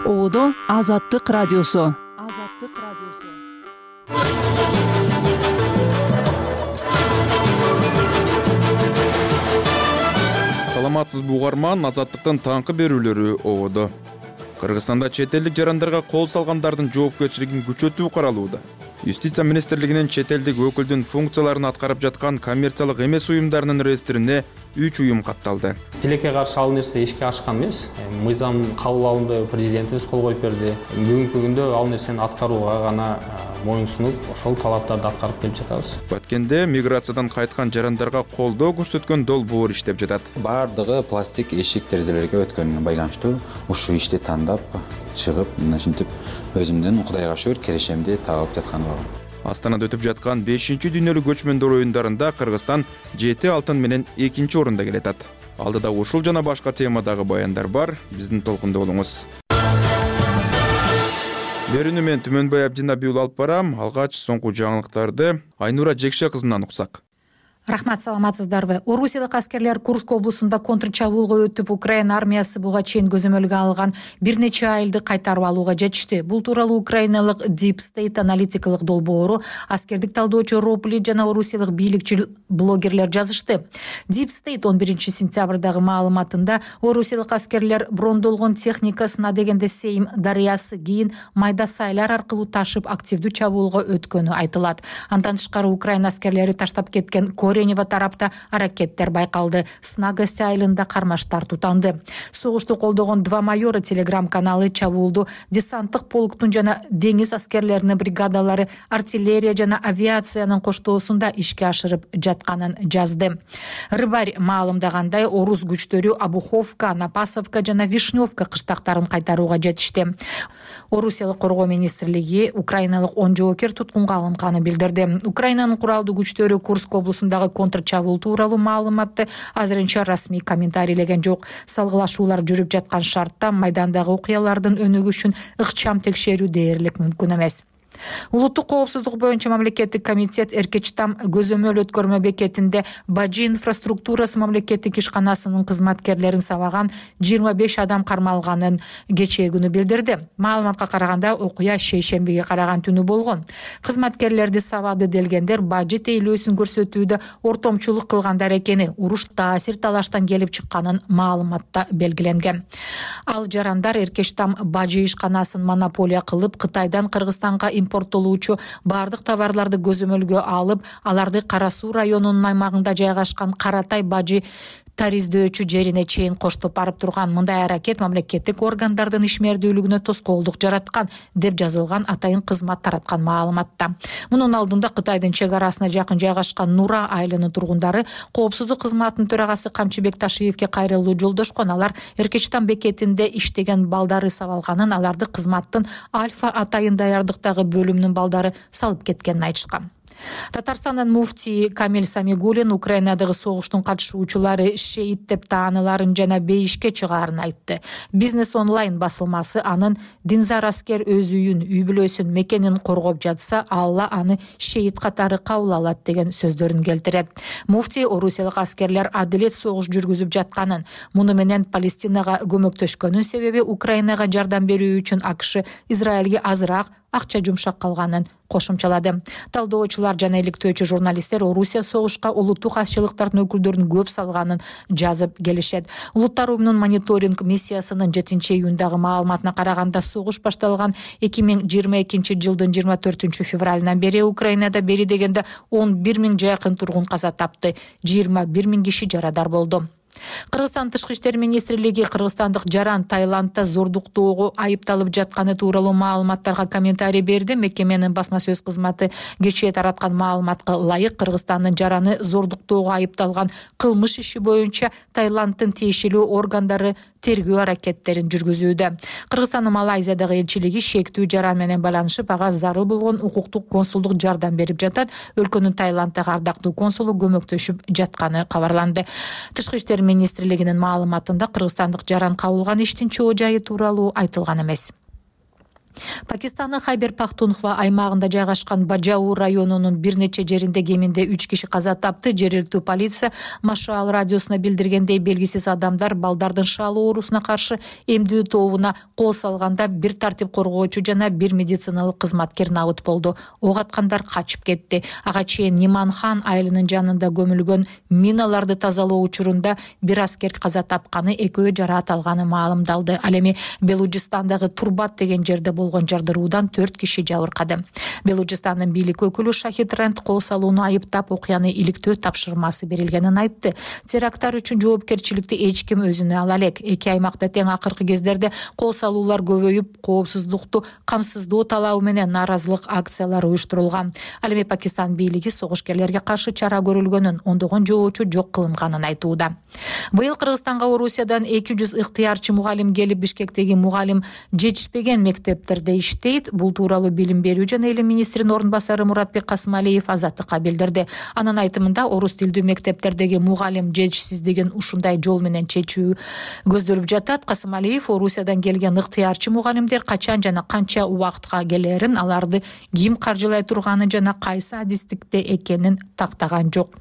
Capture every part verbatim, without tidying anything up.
Оодо Азаттык радиосу. Азаттык радиосу. Саламатсызбы угарман, Азаттыктын таңкы берүүлөрү оодо. Кыргызстанда чет элдик жарандарга кол салгандардын жоопкерчилигин күчөтүү каралууда. Юстиция министрлигинин чет элдик өкүлдүн функцияларын аткарып жаткан коммерциялык эмес уюмдарынын реестрине үч уюм катталды. Тилекке каршы ал нерсе ишке ашкан эмес. Мыйзам кабыл алынды, президентибиз кол коюп берди. Бүгүнкү күндө ал нерсени аткарууга гана моюн сунуп, ошол талаптарды аткарып келип жатабыз. Баткенде миграциядан кайткан жарандарга колдоо көрсөткөн долбоор иштеп жатат. Бардыгы пластик эшик терезелерге өткөнүнө байланыштуу ушул ишти тандап чыгып, мынтип өзүмдүн Кудайга шүгүр керешемди табып жатканым бар. Астанада өтүп жаткан бешинчи дүйнөлүк көчмөндөр оюндарында Кыргызстан жети алтын менен экинчи орунда келатат. Алдыда ушул жана башка темадагы баяндар бар. Биздин толкунда болуңуз. Берүүнү мен Түмөнбай Абдинабиул алып барам. Алгач соңку жаңылыктарды Айнура Жекше кызынан уксак. Рахмат, саламатсыздарбы. Орусиялык аскерлер Курск облусунда контрчабуулга өтүп, Украина армиясы буга чейин көзөмөлгө алган бир нече айылды кайтарып алууга жетишти. Бул тууралуу украиналык Deep State аналитикалык долбоору аскердик талдоочу Ропли жана орусиялык бийликчил блогерлер жазышты. Deep State он биринчи сентябрдагы маалыматында орусиялык аскерлер брондолгон техникасына дегенде Сейм дарыясы кийин майда сайлар аркылуу ташып активдүү чабуулга өткөнү айтылат. Андан тышкары Украина аскерлери таштап кеткен Коренева тарапта аракеттер байкалды. Снагость айылында кармаштар тутанды. Согушту колдогон два майора телеграм-каналы чабуулду десанттык полктун жана деңиз аскерлеринин бригадалары артиллерия жана авиациянын коштоосунда ишке ашырып жатканын жазды. Рыбарь маалымдагандай, орус күчтөрү Обуховка, Напасовка жана Вишневка кыштактарын кайтарууга жетишти. Орусиялык коргоо министрлиги украиналык он жоокер туткунга алынганын билдирди. Украинанын куралдуу күчтөрү Курск облусундагы контрчабуул тууралуу маалыматты азырынча расмий комментарийлеген жок. Салгылашуулар жүрүп жаткан шартта майдандагы окуялардын өнүгүшүн ыкчам текшерүү дээрлик мүмкүн эмес. Улуттук коопсуздук боюнча мамлекеттик комитет Эркечтам көзөмөл өткөрмө бекетинде Бажи инфраструктурасы мамлекеттик ишканасынын кызматкерлерин сабаган жыйырма беш адам кармалганын кечээ билдирди. Маалыматка караганда окуя шейшембиге караган түнү болгон. Кызматкерлерди сабады делгендер Бажи тейлөөсүн көрсөтүүдө ортомчулук кылгандар экени, уруш таасир талаштан келип чыкканын маалыматта белгиленген. Ал жарандар Эркечтам Бажи ишканасын монополия кылып, Кытайдан Кыргызстанга импорттолуучу бардык товарларды көзөмөлгө алып, аларды Кара Суу районунун аймагында жайгашкан Каратай Бажи тариздөөчү жерине чейин коштоп барып турган. Мындай аракет мамлекеттик органдардын ишмердүүлүгүнө тоскоолдук жараткан, деп жазылган атайын кызмат тараткан маалыматта. Мунун алдында Кытайдын чек арасына жакын жайгашкан Нура айылынын тургундары коопсуздук кызматынын төрагасы Камчыбек Ташиевке кайрылуу жолдошкон. Алар Эркечтам бекетинде иштеген балдары сабалганын, аларды кызматтын Альфа атайын даярдыктагы бөлүмүнүн балдары салып кеткенин айтышкан. Татарстандын муфтии Камил Самигулин Украинадагы согуштун катышуучулары шейит деп тааныларын жана бейишке чыгаарын айтты. Бизнес онлайн басылмасы анын динзар аскер өз үйүн, үй бүлөсүн, мекенин коргоп жатса, Алла аны шейит катары кабыл алат деген сөздөрүн келтирет. Муфтий орусиялык аскерлер адилет согуш жүргүзүп жатканын, муну менен Палестинага көмөктөшкөнүн себеби Украинага жардам берүү үчүн АКШ Израилге азыраак акча жумшап калганын кошумчалады. Талдоочулар жана иликтөөчү журналисттер Орусия согушка улуттук азчылыктардын өкүлдөрүн көп салганын жазып келишет. Улуттар уюмунун мониторинг миссиясынын жетинчи июндагы маалыматына караганда, согуш башталган эки миң жыйырма экинчи жылдын жыйырма төртүнчү февралынан бери Украинада бери дегенде он бир миң жакын тургун каза тапты, жыйырма бир миң киши жарадар болду. Кыргызстан тышкы иштер министрлиги кыргызстандык жаран Таиландда зордуктоого айыпталып жатканы тууралуу маалыматтарга комментарий берди. Мекеменин басма сөз кызматы кечээ тараткан маалыматка ылайык, Кыргызстандын жараны зордуктоого айыпталган кылмыш иши боюнча Таиланддын тиешелүү органдары тергөө аракеттерин жүргүзүүдө. Кыргызстандын Малайзиядагы элчилиги шектүү жаран менен байланышып, ага зарыл болгон укуктук консулдук жардам берип жатат. Өлкөнүн Таиланддагы ардактуу консулу көмөктөшүп жатканы кабарланды. Тышкы иштер министрлигинин маалыматында Кыргызстандык жаран кабылган иштин чоо жайы тууралуу айтылган эмес. Пакистандын Хайбер Пахтунхва аймагында жайгашкан Бажау районунун бир нече жеринде кеминде үч киши каза тапты. Жергиликтүү полиция Машал радиосуна билдиргендей, белгисиз адамдар балдардын шал оорусуна каршы эмдөө тобуна кол салганда бир тартип коргоочу жана бир медициналык кызматкер набыт болду. Ок аткандар качып кетти. Ага чейин Ниманхан айылынын жанында көмүлгөн миналарды тазалоо учурунда бир аскер каза тапканы, экөө жараат алганы маалымдалды. Ал эми Белужистандагы Турбат деген жерде болгон жардыруудан төрт киши жабыркады. Белужистандын бийлик өкүлү Шахид Рент кол салууну айыптап, окуяны иликтөө тапшырмасы берилгенин айтты. Теракттар үчүн жоопкерчиликти эч ким өзүнө ала элек. Эки аймакта тең акыркы кездерде кол салуулар көбөйүп, коопсуздукту камсыздоо талабы менен нааразылык акциялары уюштурулган. Ал эми Пакистан бийлиги согушкерлерге каршы чара көрүлгөнүн, ондогон жоочу жок кылынганын айтууда. Быйыл Кыргызстанга Орусиядан эки жүз ыктыярчы мугалим келип, Бишкектеги мугалим жетишпеген мектептерде иштейт. Бул тууралуу билим берүү жана элим министринин орун басары Муратбек Касымалиев Азаттыкка билдирди. Анын айтымында, орус тилдүү мектептердеги мугалим жетишсиздигин ушундай жол менен чечүү көздөлүп жатат. Касымалиев Орусиядан келген ыктыярчы мугалимдер качан жана канча убакытка келерин, аларды ким каржылай турганын жана кайсы адистикте экенин тактаган жок.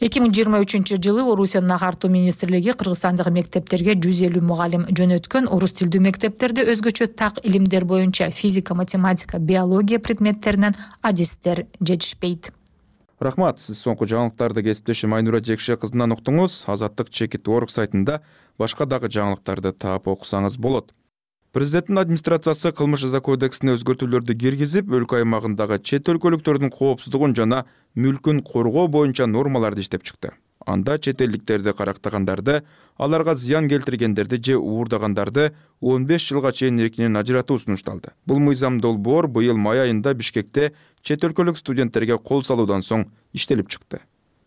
эки миң жыйырма үчүнчү жылы Орусиянын агартуу министрлиги Кыргызстандагы мектептерге жүз элүү мугалим жөнөткөн. Орус тилдүү мектептерде өзгөчө так илимдер боюнча физика, математика, биология предметтеринен адистер жетишпейт. Рахмат, сиз соңку жаңылыктарды кесиптешим Айнура Жекше кызынан уктуңуз. Азаттык чекит орг сайтында башка дагы жаңылыктарды таап окусаңыз болот. Президенттин администрациясы кылмыш жаза кодексине өзгөртүүлөрдү киргизип, өлкө аймагындагы чет өлкөлүктөрдүн коопсуздугун жана мүлкүн коргоо боюнча нормаларды иштеп чыкты. Анда чет элдиктерди карактагандарды, аларга зыян келтиргендерди же уурдагандарды он беш жылга чейин эркинен ажыратуу сунушталды. Бул мыйзам долбоор быйыл май айында Бишкекте чет өлкөлүк студенттерге кол салуудан соң иштелип чыкты.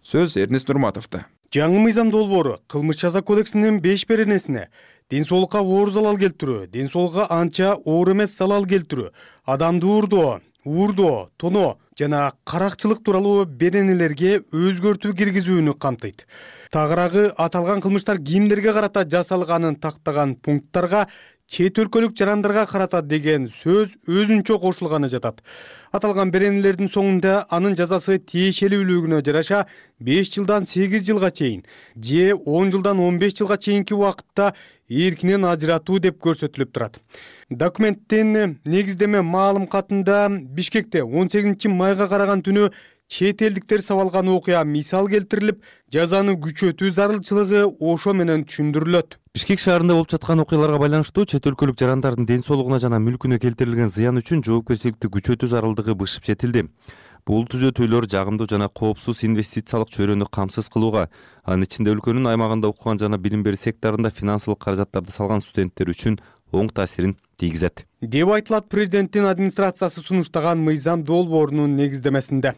Сөз Эрнест Нурматовдо. Жаңы мыйзам долбоору кылмыш жаза кодексинин беш беренесине ден соолукка оор залал келтирүү, ден соолукка анча оор эмес залал келтирүү, адамды уурдоо, уурдоо, тоноо жана каракчылык тууралуу беренелерге өзгөртүү киргизүүнү камтыйт. Тагыраагы аталган кылмыштар кимдерге карата жасалганын тактаган пункттарга чет өлкөлүк жарандарга карата деген сөз өзүнчө кошулганы жатат. Аталган беренелердин соңунда анын жазасы тиешелүүлүгүнө жараша беш жылдан сегиз жылга чейин же он жылдан он беш жылга чейинки убакытта эркинен ажыратуу деп көрсөтүлүп турат. Документтин негиздеме маалым катында Бишкекте он сегизинчи майга караган түнү чет элдиктер сабалган окуя мисал келтирилип, жазаны күчөтүү зарылчылыгы ошо менен түшүндүрүлөт. Бишкек шаарында болуп жаткан окуяларга байланыштуу чет өлкөлүк жарандардын ден соолугуна жана мүлкүнө келтирилген зыян үчүн жоопкерчиликти күчөтүү зарылдыгы бышып жетилди. Бул түзөтүүлөр жагымдуу жана коопсуз инвестициялык чөйрөнү камсыз кылууга, анын ичинде өлкөнүн аймагында окуган жана билим берүү секторунда финансылык каражаттарды салган студенттер үчүн оң таасирин тийгизет деп айтылат президенттин администрациясы сунуштаган мыйзам долбоорунун негиздемесинде.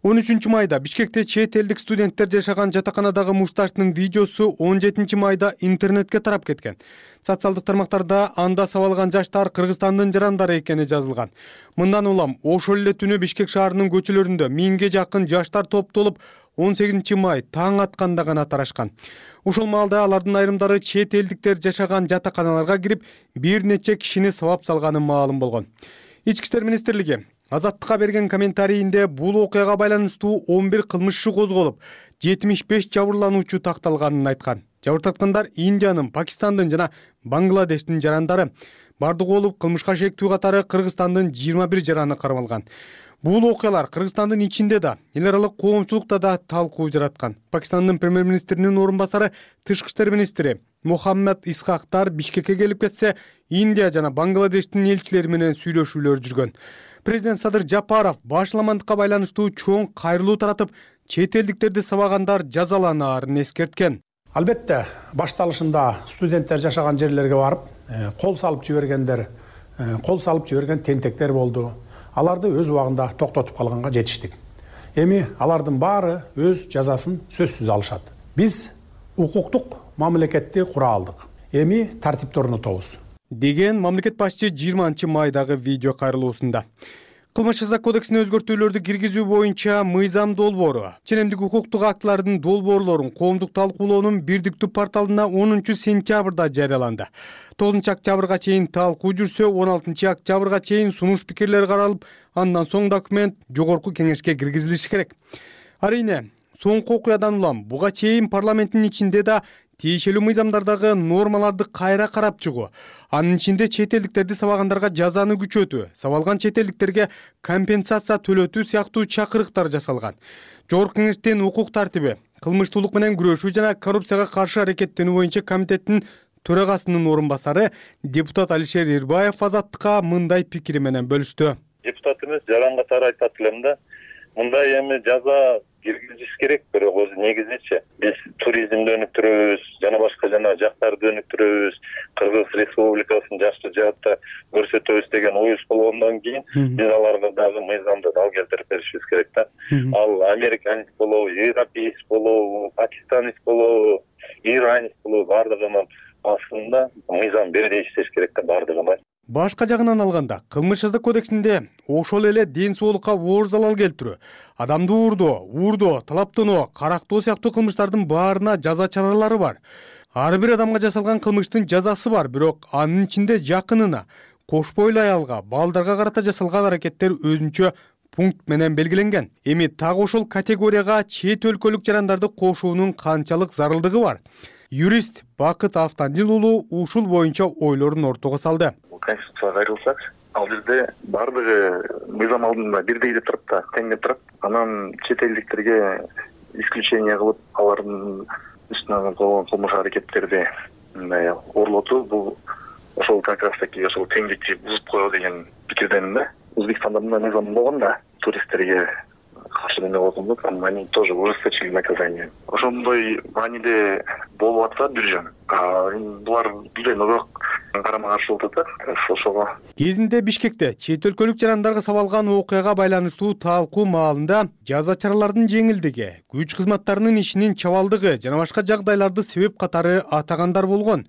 он үчүнчү майда Бишкекте чет элдик студенттер жашаган жатаканадагы мушташтын видеосу он жетинчи майда интернетке тарап кеткен. Социалдык тармактарда анда сабалган жаштар Кыргызстандын жарандары экени жазылган. Мындан улам ошол эле түнү Бишкек шаарынын көчөлөрүндө миңге жакын жаштар топтолуп он сегизинчи май таң атканда гана тарашкан. Ошол маалда алардын айрымдары чет элдиктер жашаган жатаканаларга кирип, бир нече кишини сабап салганы маалым болгон. Ички иштер министрлиги Азаттыкка берген комментарийинде бул окуяга байланыштуу он бир кылмыш иши козголуп, жетимиш беш жабырлануучу такталганын айткан. Жабырткандар Индиянын, Пакистандын жана Бангладештин жарандары. Бардыгы болуп кылмышка шектүү катары Кыргызстандын жыйырма бир жараны кармалган. Бул окуялар Кыргызстандын ичинде да, эл аралык коомчулукта да талкуу жараткан. Пакистандын премьер-министринин орун басары, тышкы иштер министри Мухаммад Исхактар Бишкекке келип кетсе, Индия жана Бангладештин элчилери менен сүйлөшүүлөр жүргөн. Президент Садыр Жапаров башаламандыкка байланыштуу чоң кайрылуу таратып, чет элдиктерди сабагандар жазаланаарын эскерткен. Албетте, башталышында студенттер жашаган жерлерге барып, кол салып жибергендер, кол салып жиберген тентектер болду. Аларды өз убагында токтотуп калганга жетиштик. Эми алардын баары өз жазасын сөзсүз алышат. Биз укуктук мамлекетти кура алдык. Эми тартипти орнотобуз деген мамлекет башчы жыйырманчы майдагы видео кайрылуусунда. Кылмыш жаза кодексине өзгөртүүлөрдү киргизүү боюнча мыйзам долбоору ченемдик укуктук актылардын долбоорлорун коомдук талкуулоонун бирдиктүү порталына онунчу сентябрда жарыяланды. тогузунчу октябрга чейин талкуу жүрсө, он алтынчы октябрга чейин сунуш пикирлер каралып, андан соң документ жогорку кеңешке киргизилиши керек. Арийне, соңку окуядан улам буга чейин парламенттин ичинде да тиешелүү мыйзамдардагы нормаларды кайра карап чыгуу, анын ичинде чет элдиктерди сабагандарга жазаны күчөтүү, сабалган чет элдиктерге компенсация төлөтүү сыяктуу чакырыктар жасалган. Жогорку кеңештин укук тартиби, кылмыштуулук менен күрөшүү жана коррупцияга каршы аракеттенүү боюнча комитеттин төрагасынын орун басары депутат Алишер Ирбаев Азаттыкка мындай пикири менен бөлүштү. Депутат эмес, жаран катары айтат элем да, мындай эми жаза киргизиш керек, бирок өзү негизичи биз туризмди өнүктүрөбүз, жана башка жана жактарды өнүктүрөбүз, Кыргыз Республикасын жакшы жаатта көрсөтөбүз деген оюбуз болгондон кийин биз аларга дагы мыйзамды дал келтирип беришибиз керек да. Ал американец болобу, европеец болобу, пакистанец болобу, иранец болобу, бардыгынын астында мыйзам бирдей иштеш керек да, бардыгына. Башка жагынан алганда, кылмыш жаза кодексинде ошол эле ден соолукка оор залал келтирүү, адамды уурдоо, уурдоо, талаптоноо, карактоо сыяктуу кылмыштардын баарына жаза чаралары бар. Ар бир адамга жасалган кылмыштын жазасы бар, бирок анын ичинде жакынына, кош бойлуу аялга, балдарга карата жасалган аракеттер өзүнчө пункт менен белгиленген. Эми так ошол категорияга чет өлкөлүк жарандарды кошуунун канчалык зарылдыгы бар? Юрист Бакыт Автандил уулу ушул боюнча ойлорун ортого салды. Конституцияга кайрылсак, ал жерде бардыгы мыйзам алдында бирдей деп турат да, тең деп турат. Анан чет элдиктерге исключение кылып, алардын үстүнөн койгон кылмыш аракеттерди мындай орлотуу, бул ошол как раз таки ошол теңдикти бузуп коёу деген пикирденмин да. Өзбекстанда мындай мыйзам болгон да, туристтерге каршы неме койгондук, они тоже ужесточили наказание. Ошондой мааниде болуп атса бир жөн. Булар бир ногок карама каршы болуп атат ошого. Кезинде Бишкекте чет өлкөлүк жарандарга сабалган окуяга байланыштуу талкуу маалында жаза чаралардын жеңилдиги, күч кызматтарынын ишинин чабалдыгы жана башка жагдайларды себеп катары атагандар болгон.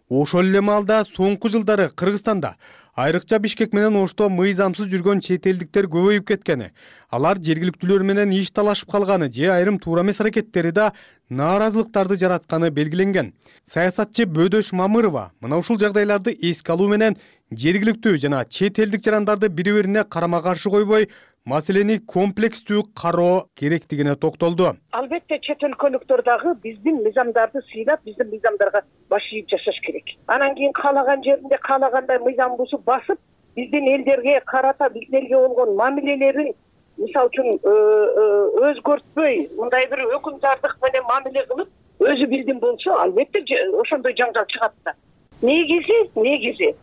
Ошол эле маалда соңку жылдары Кыргызстанда айрыкча Бишкек менен Ошто мыйзамсыз жүргөн чет элдиктер көбөйүп кеткени, алар жергиликтүүлөр менен иш талашып калганы же айрым туура эмес аракеттери да нааразылыктарды жаратканы белгиленген. Саясатчы Бөдөш Мамырова мына ушул жагдайларды эске алуу менен жергиликтүү жана чет элдик жарандарды бири-бирине карама-каршы койбой, маселени комплекстүү кароо керектигине токтолду. Албетте чет өлкөлүктөр дагы биздин мыйзамдарды сыйлап, биздин мыйзамдарга баш ийип жашаш керек. Анан кийин каалаган жеринде каалагандай мыйзам бузуп басып, биздин элдерге карата биздин элге болгон мамилелерин мисалы үчүн өзгөртпөй, мындай бир өкүмдардык менен мамиле кылып, өзү билдим болсо, албетте ошондой жаңжал чыгат да. Негизи, негизи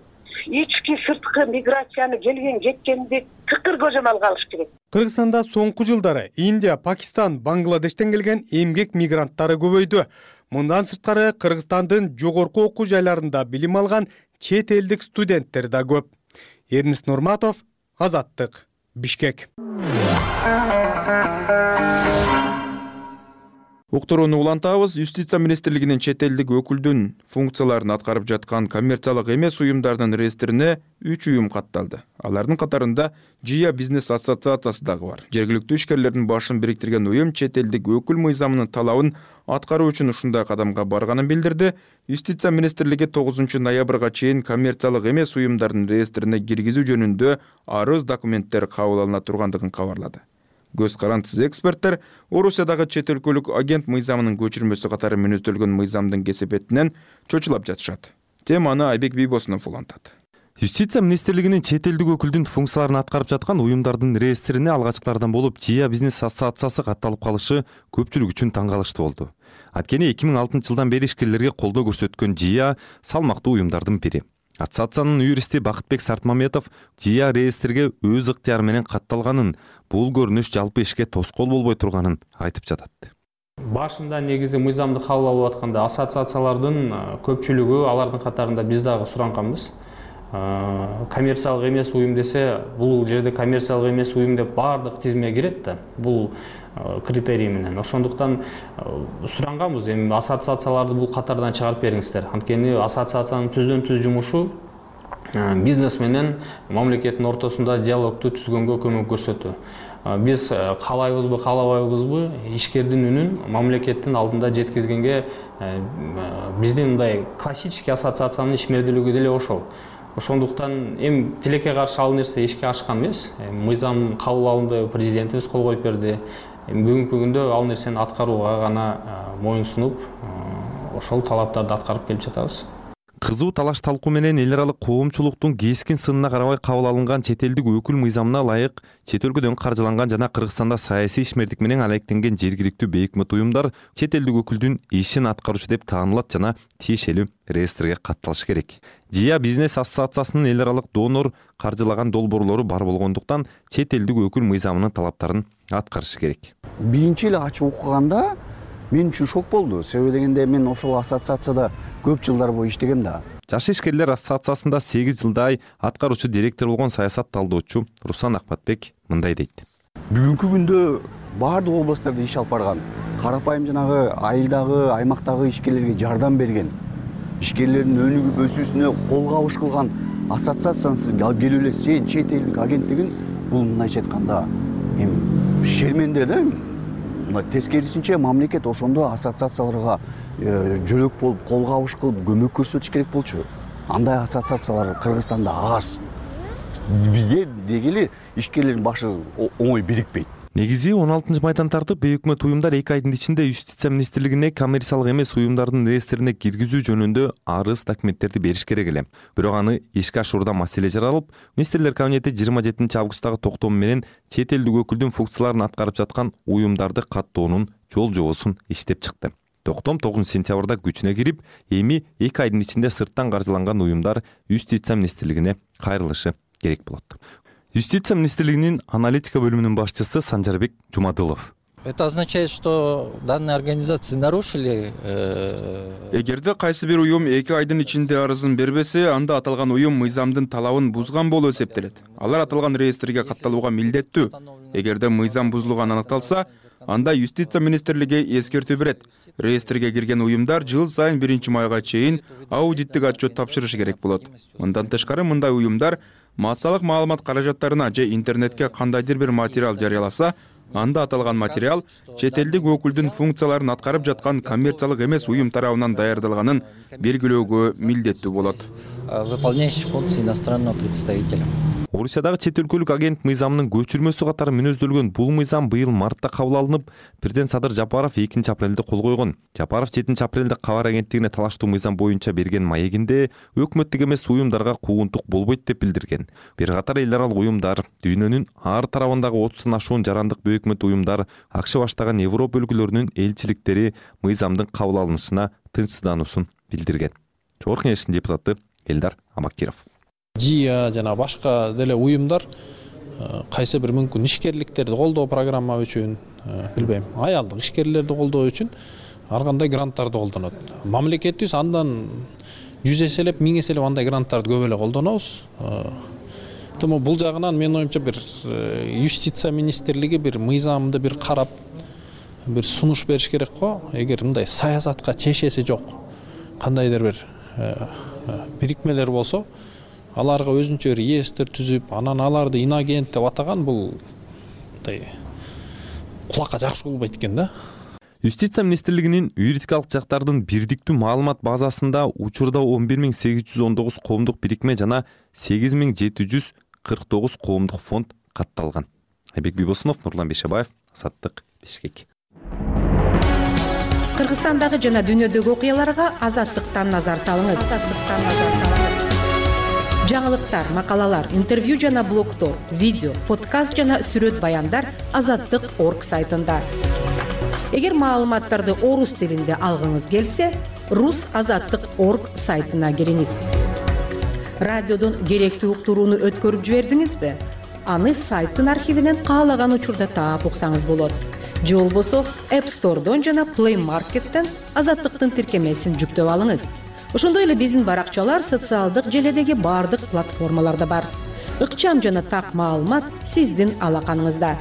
ички сырткы миграцияны келген жеткенди тыкыр көзөмөлгө алыш керек. Кыргызстанда соңку жылдары Индия, Пакистан, Бангладештен келген эмгек мигранттары көбөйдү. Мындан сырткары Кыргызстандын жогорку окуу жайларында билим алган чет элдик студенттер да көп. Эрнис Нурматов, Азаттык, Бишкек. Уктурууну улантабыз. Юстиция министрлигинин чет элдик өкүлдүн функцияларын аткарып жаткан коммерциялык эмес уюмдардын реестрине үч уюм катталды. Алардын катарында Жия бизнес ассоциациясы дагы бар. Жергиликтүү ишкерлердин башын бириктирген уюм чет элдик өкүл мыйзамынын талабын аткаруу үчүн ушундай кадамга барганын билдирди. Юстиция министрлиги тогузунчу ноябрга чейин коммерциялык эмес уюмдардын реестрине киргизүү жөнүндө арыз документтер кабыл алына тургандыгын кабарлады. Көз карандысыз эксперттер Орусиядагы чет өлкөлүк агент мыйзамынын көчүрмөсү катары мүнөздөлгөн мыйзамдын кесепетинен чочулап жатышат. Теманы Айбек Бийбосунов улантат. Юстиция министрлигинин чет элдик өкүлдүн функцияларын аткарып жаткан уюмдардын реестрине алгачкылардан болуп Жия бизнес ассоциациясы катталып калышы көпчүлүк үчүн таң калыштуу болду. Анткени эки миң алтынчы жылдан бери ишкерлерге колдоо көрсөткөн Жия салмактуу уюмдардын бири. Ассоциациянын юристи Бакытбек Сартмаметов Жия реестрге өз ыктыяры менен катталганын, бул көрүнүш жалпы ишке тоскоол болбой турганын айтып жатат. Башында негизи мыйзамды кабыл алып атканда ассоциациялардын көпчүлүгү, алардын катарында биз дагы суранганбыз. Коммерциялык эмес уюм десе, бул жерде коммерциялык эмес уюм деп баардык тизимге кирет да. Бул критерий менен. Ошондуктан суранганбыз, эми ассоциацияларды бул катардан чыгарып бериңиздер. Анткени ассоциациянын түздөн түз жумушу бизнес менен мамлекеттин ортосунда диалогду түзгөнгө көмөк көрсөтүү. Биз каалайбызбы, каалабайбызбы, ишкердин үнүн мамлекеттин алдында жеткизгенге биздин мындай классический ассоциациянын ишмердүүлүгү деле ошол. Ошондуктан эми тилекке каршы ал нерсе эшикке ашкан эмес. Мыйзам кабыл алынды, президентибиз кол коюп берди. Бүгүнкү күндө ал нерсени аткарууга гана моюн сунуп, ошол талаптарды аткарып келип жатабыз. Кызуу талаш талкуу менен эл аралык коомчулуктун кескин сынына карабай кабыл алынган чет элдик өкүл мыйзамына ылайык чет өлкөдөн каржыланган жана Кыргызстанда саясий ишмердик менен алектенген жергиликтүү бейөкмөт уюмдар чет элдик өкүлдүн ишин аткаруучу деп таанылат жана тиешелүү реестрге катталышы керек. Жия бизнес ассоциациясынын эл аралык донор каржылаган долбоорлору бар болгондуктан чет элдик өкүл мыйзамынын талаптарын аткарышы керек. Биринчи эле ачып окуганда мен үчүн шок болду. Себеби дегенде мен ошол ассоциацияда көп жылдар бою иштегем да. Жаш ишкерлер ассоциациясында сегиз жылдай аткаруучу директор болгон саясат талдоочу Руслан Акпатбек мындай дейт. Бүгүнкү күндө баардык областтарда иш алып барган, карапайым жанагы айылдагы, аймактагы ишкерлерге жардам берген, ишкерлердин өнүгүп өсүүсүнө кол кабыш кылган ассоциациясы алып келип эле сен чет элдик агенттигин бул мындайча айтканда эми шерменде да. Тескерисинче мамлекет ошондо ассоциацияларга жөлөк болуп, кол кабыш кылып, көмөк көрсөтүш керек болчу. Андай ассоциациялар Кыргызстанда аз. Бизде дегеле ишкерлердин башы оңой бирикпейт. Негизи он алтынчы майдан тартып бейөкмөт уюмдар эки айдын ичинде Юстиция министрлигине коммерциялык эмес уюмдардын реестрине киргизүү жөнүндө арыз документтерди бериш керек эле. Бирок аны ишке ашуурда маселе жаралып, министрлер кабинети жыйырма жетинчи августтагы токтому менен чет элдик өкүлдүн функцияларын аткарып жаткан уюмдарды каттоонун жол жобосун иштеп чыкты. Токтом тогузунчу сентябрда күчүнө кирип, эми эки айдын ичинде сырттан каржыланган уюмдар Юстиция министрлигине кайрылышы керек болот. Юстиция министрлигинин аналитика бөлүмүнүн башчысы Санжарбек Жумадылов. Это означает, что данные организации нарушили. Эгерде кайсы бир уюм эки айдын ичинде арызын бербесе, анда аталган уюм мыйзамдын талабын бузган болуп эсептелет. Алар аталган реестрге катталууга милдеттүү. Эгерде мыйзам бузулганы аныкталса, анда Юстиция министрлиги эскертүү берет. Реестрге кирген уюмдар жыл сайын биринчи майга чейин аудиттик отчет тапшырышы керек болот. Мындан тышкары мындай уюмдар массалык маалымат каражаттарына же интернетке кандайдыр бир материал жарыяласа, анда аталган материал чет элдик өкүлдүн функцияларын аткарып жаткан коммерциялык эмес уюм тарабынан даярдалганын белгилөөгө милдеттүү болот. Выполняющий функции иностранного представителя. Орусиядагы чет өлкөлүк агент мыйзамынын көчүрмөсү катары мүнөздөлгөн бул мыйзам быйыл мартта кабыл алынып, президент Садыр Жапаров экинчи апрелде кол койгон. Жапаров жетинчи апрелде кабар агенттигине талаштуу мыйзам боюнча берген маегинде өкмөттүк эмес уюмдарга куугунтук болбойт деп билдирген. Бир катар эл аралык уюмдар, дүйнөнүн ар тарабындагы отуздан ашуун жарандык бейөкмөт уюмдар, акчы баштаган Европа өлкөлөрүнүн элчиликтери мыйзамдын кабыл алынышына тынчсыздануусун билдирген. Жогорку Кеңештин депутаты Элдар Амакиров. ЖИА жана башка деле уюмдар кайсы бир мүмкүн ишкерликтерди колдоо программа үчүн, билбейм, аялдык ишкерлерди колдоо үчүн ар кандай гранттарды колдонот. Мамлекетибиз андан жүз эселеп, миң эселеп андай гранттарды көп эле колдонобуз. Тому бул жагынан менин оюмча бир Юстиция министрлиги бир мыйзамды бир карап, бир сунуш бериш керек го. Эгер мындай саясатка чешеси жок кандайдыр бир бирикмелер болсо, аларга өзүнчө реестр түзүп, анан аларды инагент деп атаган бул мындай кулакка жакшы болбойт экен да. Юстиция министрлигинин юридикалык жактардын бирдиктүү маалымат базасында учурда он бир миң сегиз жүз он тогуз коомдук бирикме жана сегиз миң жети жүз кырк тогуз коомдук фонд катталган. Айбек Бибосунов, Нурлан Бешебаев, Азаттык, Бишкек. Кыргызстандагы жана дүйнөдөгү окуяларга Азаттыктан назар салыңыз. Азаттыктан назар салыңыз. Жаңылыктар, макалалар, интервью жана блогтор, видео, подкаст жана сүрөт баяндар азаттык точка орг сайтында. Эгер маалыматтарды орус тилинде алгыңыз келсе, рус азаттык точка орг сайтына кириңиз. Радиодон керектүү уктурууну өткөрүп жибердиңизби? Аны сайттын архивинен каалаган учурда таап уксаңыз болот. Же болбосо App Store'дон жана Play Market'тен азаттыктын тиркемесин жүктөп алыңыз. Ошондой эле биздин баракчалар социалдык желедеги бардык платформаларда бар. Ыкчам жана так маалымат сиздин алаканыңызда.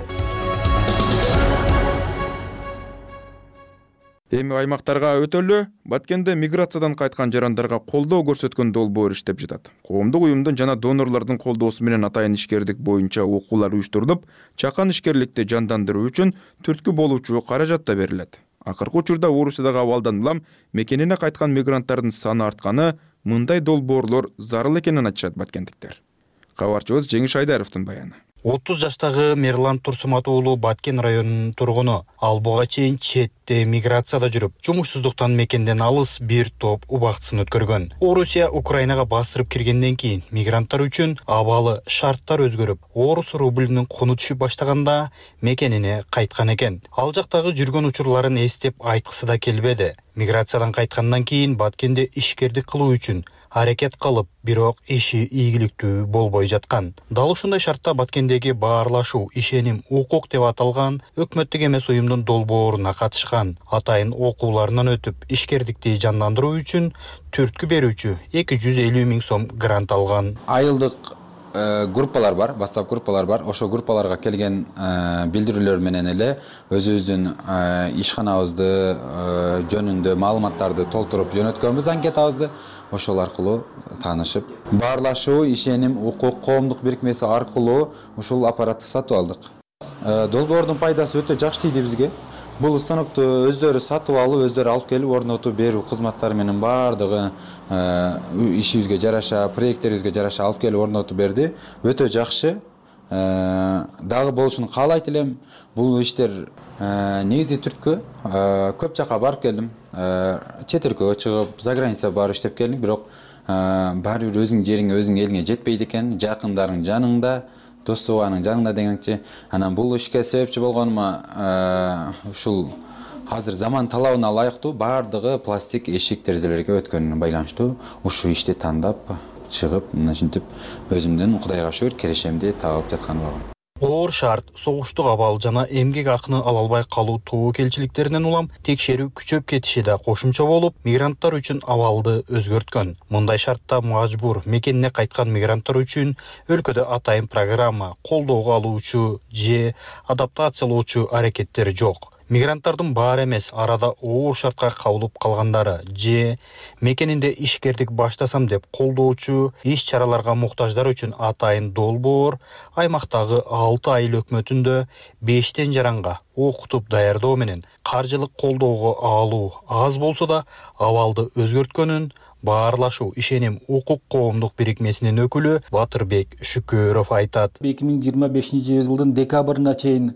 Эми аймактарга өтөлү. Баткенде миграциядан кайткан жарандарга колдоо көрсөткөн долбоор иштеп жатат. Коомдук уюмдун жана донорлордун колдоосу менен атайын ишкердик боюнча окуулар уюштурулуп, чакан ишкерликти жандандыруу үчүн түрткү болуучу каражат да берилет. Акыркы учурда Орусиядагы абалдан улам мекенине кайткан мигранттардын саны артканы, мындай долбоорлор зарыл экенин айтышат баткендиктер. Кабарчыбыз Жеңиш Айдаровдун баяны. отуз жаштагы Мерлан Турсумат уулу Баткен районунун тургуну. Ал буга чейин четте миграцияда жүрүп, жумушсуздуктан мекенден алыс бир топ убактысын өткөргөн. Орусия Украинага бастырып киргенден кийин мигранттар үчүн абалы шарттар өзгөрүп, орус рубльүнүн куну түшүп баштаганда мекенине кайткан экен. Ал жактагы жүргөн учурларын эстеп айткысы да келбеди. Миграциядан кайткандан кийин Баткенде ишкердик кылуу үчүн аракет кылып, бирок иши ийгиликтүү болбой жаткан. Дал ушундай шартта Баткендеги баарлашуу ишеним укук деп аталган өкмөттүк эмес уюмдун долбооруна катышкан. Атайын окууларынан өтүп, ишкердикти жандандыруу үчүн түрткү берүүчү эки жүз элүү миң сом грант алган. Айылдык группалар бар, WhatsApp группалар бар. Ошо группаларга келген билдирүүлөр менен эле өзүбүздүн ишканабызды жөнүндө маалыматтарды толтуруп жөнөткөнбүз, анкетабызды. Ошол аркылуу таанышып, баарлашуу ишеним укук коомдук бирикмеси аркылуу ушул аппаратты сатып алдык. Долбоордун пайдасы өтө жакшы тийди бизге. Бул станокту өздөрү сатып алып, өздөрү алып келип орнотуп берүү кызматтары менен баардыгы ишибизге жараша, проекттерибизге жараша алып келип орнотуп берди. Өтө жакшы. Дагы болушун каалайт элем. Бул иштер негизи түрткү көп жака барып келдим. Чет өлкөгө чыгып, за граница барып иштеп келдим, бирок баары бир өзүң жериңе, өзүң элиңе жетпейт экен. Жакындарың жаныңда, дос-тууганың жаныңда дегенчи. Анан бул ишке себепчи болгонума ушул азыр заман талабына ылайыктуу баардыгы пластик эшик терезелерге өткөнүнө байланыштуу ушул ишти тандап чыгып, мынтип өзүмдүн Кудайга шүгүр керешемди табып жаткан болгом. Оор шарт, согуштук абал жана эмгек акыны ала албай калуу тобокелчиликтеринен улам текшерүү күчөп кетиши да кошумча болуп, мигранттар үчүн абалды өзгөрткөн. Мындай шартта мажбур мекенине кайткан мигранттар үчүн өлкөдө атайын программа, колдоого алуучу же адаптациялоочу аракеттер жок. Мигранттардын баары эмес, арада оор шартка кабылып калгандары же мекенинде ишкердик баштасам деп колдоочу иш-чараларга муктаждар үчүн атайын долбоор аймактагы алты айыл өкмөтүндө бештен жаранга окутуп даярдоо менен каржылык колдоого алуу аз болсо да абалды өзгөрткөнүн баарлашуу ишеним укук коомдук бирикмесинин өкүлү Батырбек Шүкөров айтат. эки миң жыйырма бешинчи жылдын декабрына чейин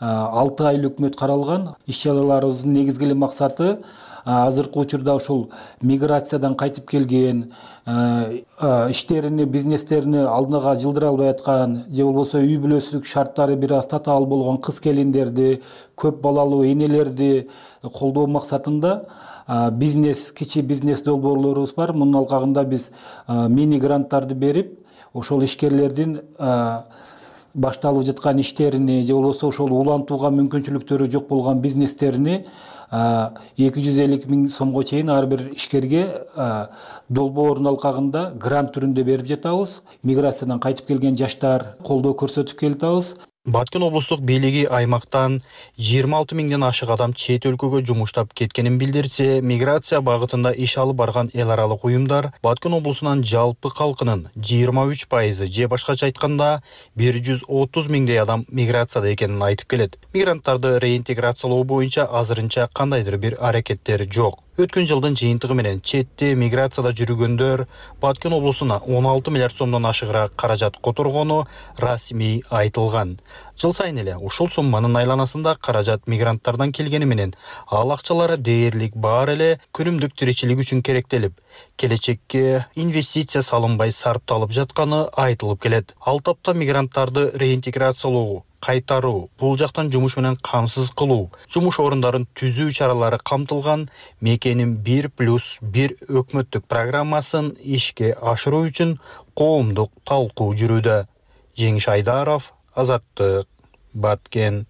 алты айыл өкмөт каралган. Иш-чараларыбыздын негизги эле максаты азыркы учурда ушул миграциядан кайтып келген, иштерини, бизнестерини алдыга жылдыра албай аткан же болбосо үй бүлөсүлүк шарттары бир аз татаал болгон кыз келиндерди, көп балалуу энелерди колдоо максатында бизнес, кичи бизнес долбоорлорубуз бар. Мунун алкагында биз мини гранттарды берип, ошол ишкерлердин башталып жаткан иштерини же болбосо ошол улантууга мүмкүнчүлүктөрү жок болгон бизнестерини эки жүз элүү миң сомго чейин ар бир ишкерге долбоордун алкагында грант түрүндө берип жатабыз. Миграциядан кайтып келген жаштар колдоо көрсөтүп келатабыз. Баткен облустук бийлиги аймактан жыйырма алты миңден ашык адам чет өлкөгө жумуштап кеткенин билдирсе, миграция багытында иш алып барган эл аралык уюмдар Баткен облусунан жалпы калкынын жыйырма үч пайызы же башкача айтканда бир жүз отуз миңдей адам миграцияда экенин айтып келет. Мигранттарды реинтеграциялоо боюнча азырынча кандайдыр бир аракеттер жок. Өткөн жылдын жыйынтыгы менен четте миграцияда жүргөндөр Баткен облусуна он алты миллиард сомдон ашыгыраак каражат которгону расмий айтылган. Жыл сайын эле ушул сумманын айланасында каражат мигранттардан келгени менен ал акчалары дээрлик бар эле күнүмдүк тиричилик үчүн керектелип, келечекке инвестиция салынбай сарпталып жатканы айтылып келет. Ал тапта мигранттарды реинтеграциялоо, кайтаруу, бул жактан жумуш менен камсыз кылуу, жумуш орундарын түзүү чаралары камтылган мекеним бир плюс бир өкмөттүк программасын ишке ашыруу үчүн коомдук талкуу жүрүүдө. Жеңиш Айдаров, Азаттык, Баткен.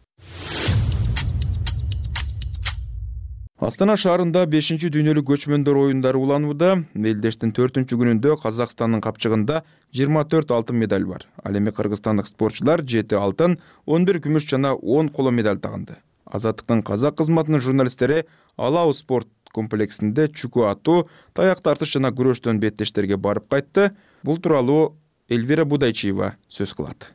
Астана шаарында бешинчи дүйнөлүк көчмөндөр оюндары уланууда. Мелдештин төртүнчү күнүндө Казакстандын капчыгында жыйырма төрт алтын медаль бар. Ал эми кыргызстандык спортчулар жети алтын, он бир күмүш жана он коло медаль таганды. Азаттыктын казак кызматынын журналисттери Алау спорт комплексинде чүкү атуу, таяк тартыш жана күрөштөн беттештерге барып кайтты. Бул тууралуу Эльвира Будайчиева сөз кылат.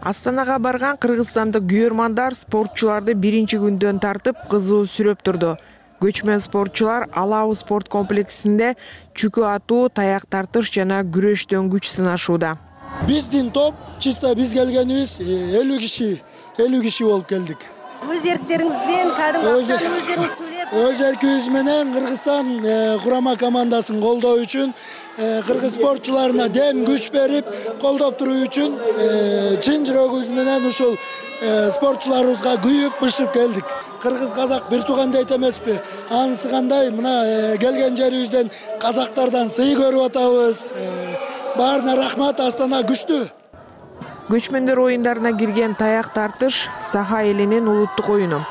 Астанага барган кыргызстандык күйөрмандар спортчуларды биринчи күндөн тартып кызуу сүрөп турду. Көчмөн спортчулар Алау спорт комплексинде чүкү атуу, таяк тартыш жана күрөштөн күч сынашууда. Биздин топ чисто биз келгенибиз элүү киши, элүү киши болуп келдик. Өз эрктериңизбен кадимги акчаны өздөрүңүз төлөп, өз эркибиз менен Кыргызстан курама командасын колдоо үчүн, кыргыз спортчуларына дем күч берип, колдоп туруу үчүн чын жүрөгүбүз менен ушул спортчуларыбызга күйүп, бышып келдик. Кыргыз казак бир тууган дейт эмеспи? Анысы кандай? Мына келген жерибизден казактардан сый көрүп атабыз. Баарына рахмат, Астана күчтүү. Көчмөндөр оюндарына кирген таяк тартыш Саха элинин улуттук оюну.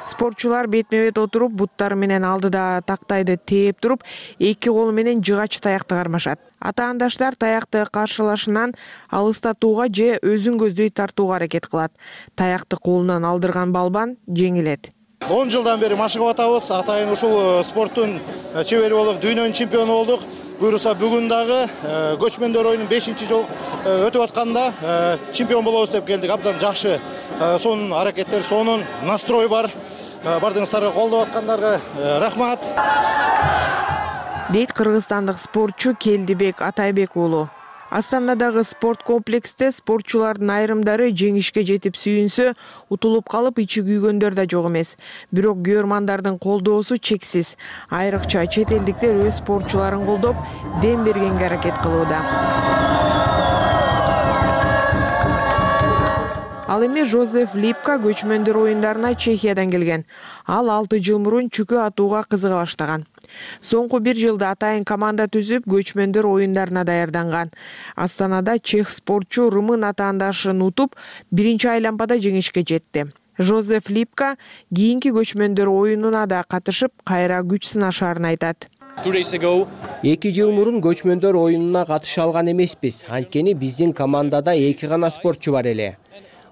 Спортчулар бетме-бет отуруп, буттары менен алдыда тактайды тээп туруп, эки колу менен жыгач таякты кармашат. Атаандаштар таякты каршылашынан алыстатууга же өзүн көздөй тартууга аракет кылат. Таякты колунан алдырган балбан жеңилет. он жылдан бери машыгып атабыз. Атайын ушул спорттун чебери болуп, дүйнөнүн чемпиону болдук. Буюрса бүгүн дагы көчмөндөр оюнун бешинчи жол өтүп атканда чемпион болобуз деп келдик. Абдан жакшы сонун аракеттер, сонун настрой бар. Бардыгыңыздарга колдоп аткандарга рахмат. Дейт кыргызстандык спортчу Келдибек Атайбек уулу. Астанадагы спорт комплексте спортчулардын айрымдары жеңишке жетип сүйүнсө, утулуп калып ичи күйгөндөр да жок эмес. Бирок күйөрмандардын колдоосу чексиз. Айрыкча чет элдиктер өз спортчуларын колдоп, дем бергенге аракет кылууда. Ал эми Жозеф Липка көчмөндөр оюндарына Чехиядан келген. Ал алты жыл мурун чүкү атууга кызыга баштаган. Соңку бир жылда атайын команда түзүп, көчмөндөр оюндарына даярданган. Астанада чех спортчу румын атаандашын утуп, биринчи айлампада жеңишке жетти. Жозеф Липка кийинки көчмөндөр оюнуна да катышып, кайра күч сынашаарын айтат. Эки жыл мурун көчмөндөр оюнуна катыша алган эмеспиз. Анткени биздин командада эки гана спортчу бар эле.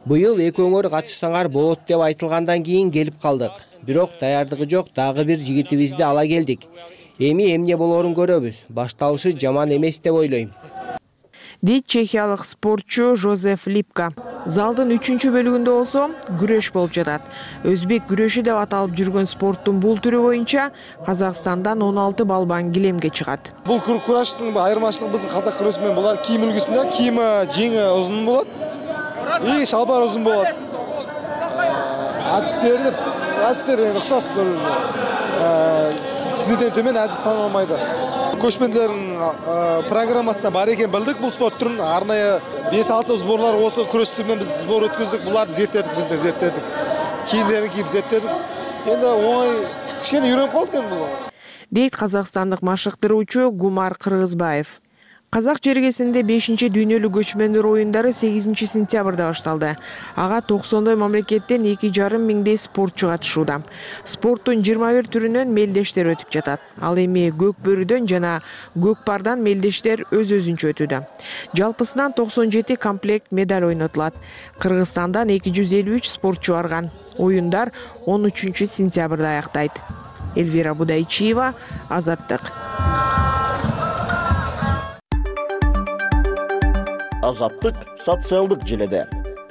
Быйыл экөөңөр катышсаңар болот деп айтылгандан кийин келип калдык. Бирок даярдыгы жок дагы бир жигитибизди ала келдик. Эми эмне болоорун көрөбүз. Башталышы жаман эмес деп ойлойм. Дейт чехиялык спортчу Жозеф Липка. Залдын үчүнчү бөлүгүндө болсо күрөш болуп жатат. Өзбек күрөшү деп аталып жүргөн спорттун бул түрү боюнча Казакстандан он алты балбан килемге чыгат. Бул күрөштүн айырмачылыгы биздин казак күрөшү менен булар кийим үлгүсүндө кийими жеңи узун болот. И шалбар узун болот. Адистер адистер уксас тизеден төмөн адис саналмайды. Көчмөндөрдүн программасында бар экен билдик. Бул спорт түрүн арнайы беш алты сборлар осы күрөштү менен биз сбор өткөздүк. Буларды зерттедик, биз да зерттедик. Кийимдерин кийип зерттедик. Энди оңой кичине үйрөнүп калдык экен бул. Дейт казакстандык машыктыруучу Гумар Кыргызбаев. Казак жергесинде бешинчи дүйнөлүк көчмөндөр оюндары сегизинчи сентябрда башталды. Ага токсондой мамлекеттен эки жарым миңдей спортчу катышууда. Спорттун жыйырма бир түрүнөн мелдештер өтүп жатат. Ал эми көк бөрүдөн жана көк пардан мелдештер өз өзүнчө өтүүдө. Жалпысынан токсон жети комплект медаль ойнотулат. Кыргызстандан эки жүз элүү үч спортчу барган. Оюндар он үчүнчү сентябрда аяктайт. Эльвира Будайчиева, Азаттык. Азаттык социалдык желеде.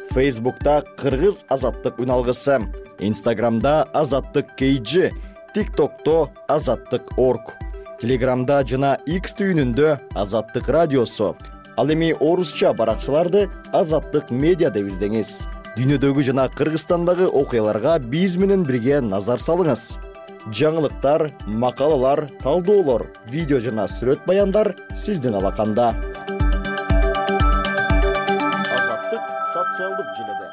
Фейсбукта Кыргыз Азаттык үналгысы, Инстаграмда Азаттык кей джи, ТикТокто Азаттык точка орг, Телеграмда жана X түйүнүндө Азаттык радиосу. Ал эми орусча баракчаларды Азаттык медиа деп издеңиз. Дүйнөдөгү жана Кыргызстандагы окуяларга биз менен бирге назар салыңыз. Жаңылыктар, макалалар, талдоолор, видео жана сүрөт баяндар сиздин алаканда. Социалдык желеде.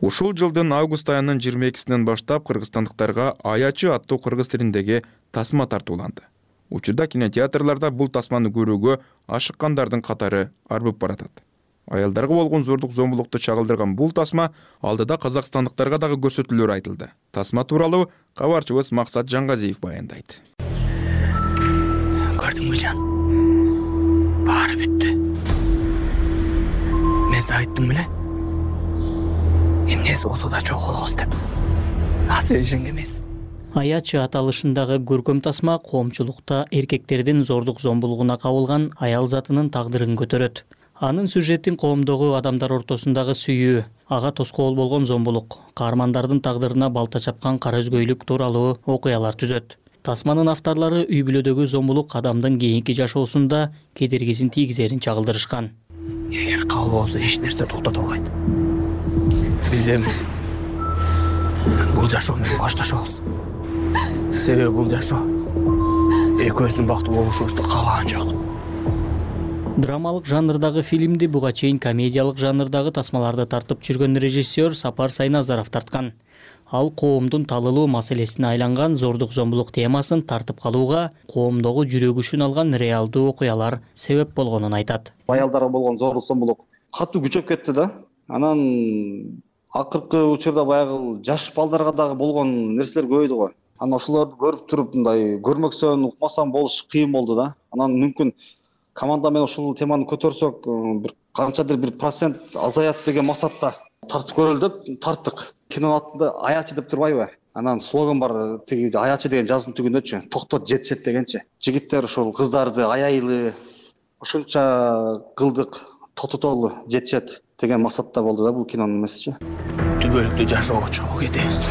Ушул жылдын август айынын жыйырма экисинен баштап кыргызстандыктарга аячы аттуу кыргыз тилиндеги тасма тартууланды. Учурда кинотеатрларда бул тасманы көрүүгө ашыккандардын катары арбып баратат. Аялдарга болгон зордук зомбулукту чагылдырган бул тасма алдыда казакстандыктарга дагы көрсөтүүлөр айтылды. Тасма тууралуу кабарчыбыз Максат Жангазиев баяндайт. Көрдүңбү жан? сиз айттым беле. Эмнеси болсо да чогулабыз деп. А сен ишенген эмес. Аячы аталышындагы көркөм тасма коомчулукта эркектердин зордук зомбулугуна кабылган аял затынын тагдырын көтөрөт. Анын сюжетин коомдогу адамдар ортосундагы сүйүү, ага тоскоол болгон зомбулук, каармандардын тагдырына балта чапкан кара өзгөйлүк тууралуу окуялар түзөт. Тасманын авторлору үй бүлөдөгү зомбулук адамдын кийинки жашоосунда кедергисин тийгизерин чагылдырышкан. Эгер кабыл болсо эч нерсе токтото албайт. Биз эми бул жашоону башташабыз. Себеби бул жашоо экөөбүздүн бактылуу болушубузду каалаган жок. Драмалык жанрдагы фильмди буга чейин комедиялык жанрдагы тасмаларды тартып жүргөн режиссер Сапар Сайназаров тарткан. Ал коомдун талылуу маселесине айланган зордук зомбулук темасын тартып калууга коомдогу жүрөгүшүн алган реалдуу окуялар себеп болгонун айтат. Аялдарга болгон зордук зомбулук катуу күчөп кетти да. Анан акыркы учурда баягы жаш балдарга дагы болгон нерселер көбөйдү го. Анан ошолорду көрүп туруп мындай көрмөксөн, укмасам болуш кыйын болду да. Анан мүмкүн команда менен ушул теманы көтөрсөк, бир канчадыр бир процент азаят деген максатта тартып көрөлү деп тарттык. Кинонун атында аячы деп турбайбы? Анан слоган бар, тиги аячы деген жазуунун түгүндөчү, токтот жетишет дегенчи. Жигиттер ушул кыздарды аяйлы ушунча кылдык, тототолу жетишет деген максатта болду да бул кинонун месежи. Түбөлүктүү жашоого чогуу кетебиз.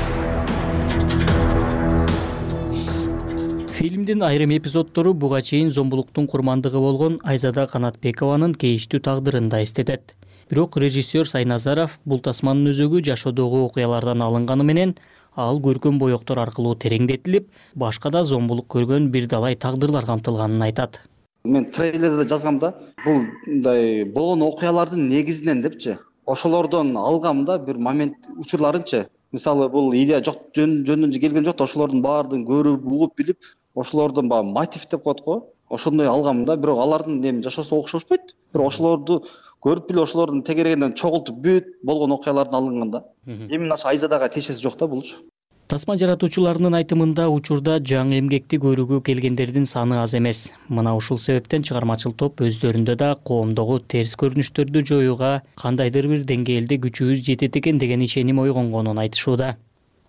Фильмдин айрым эпизоддору буга чейин зомбулуктун курмандыгы болгон Айзада Канатбекованын кейиштүү тагдырын да эстетет. Бирок режиссер Сайназаров бул тасманын өзөгү жашоодогу окуялардан алынганы менен ал көркөм боектор аркылуу тереңдетилип, башка да зомбулук көргөн бир далай тагдырлар камтылганын айтат. Мен трейлерде жазгам да, бул мындай болгон окуялардын негизинен депчи, ошолордон алгам да бир момент учурларынчы. Мисалы бул идея жок жөнүнөн келген жок да, ошолордун баардыгын көрүп, угуп билип, ошолордун баягы мотив деп коет го. Ошондой алгам да, бирок алардын эми жашоосу окшошпойт. Бирок ошолорду көрүп билип, ошолордун тегерегинен чогултуп бүт болгон окуялардан алынган да. Эми наша Айзадага тиешеси жок да булчу. Тасма жаратуучуларынын айтымында учурда жаңы эмгекти көрүүгө келгендердин саны аз эмес. Мына ушул себептен чыгармачыл топ өздөрүндө да коомдогу терс көрүнүштөрдү жоюуга кандайдыр бир деңгээлде күчүбүз жетет экен деген ишеним ойгонгонун айтышууда.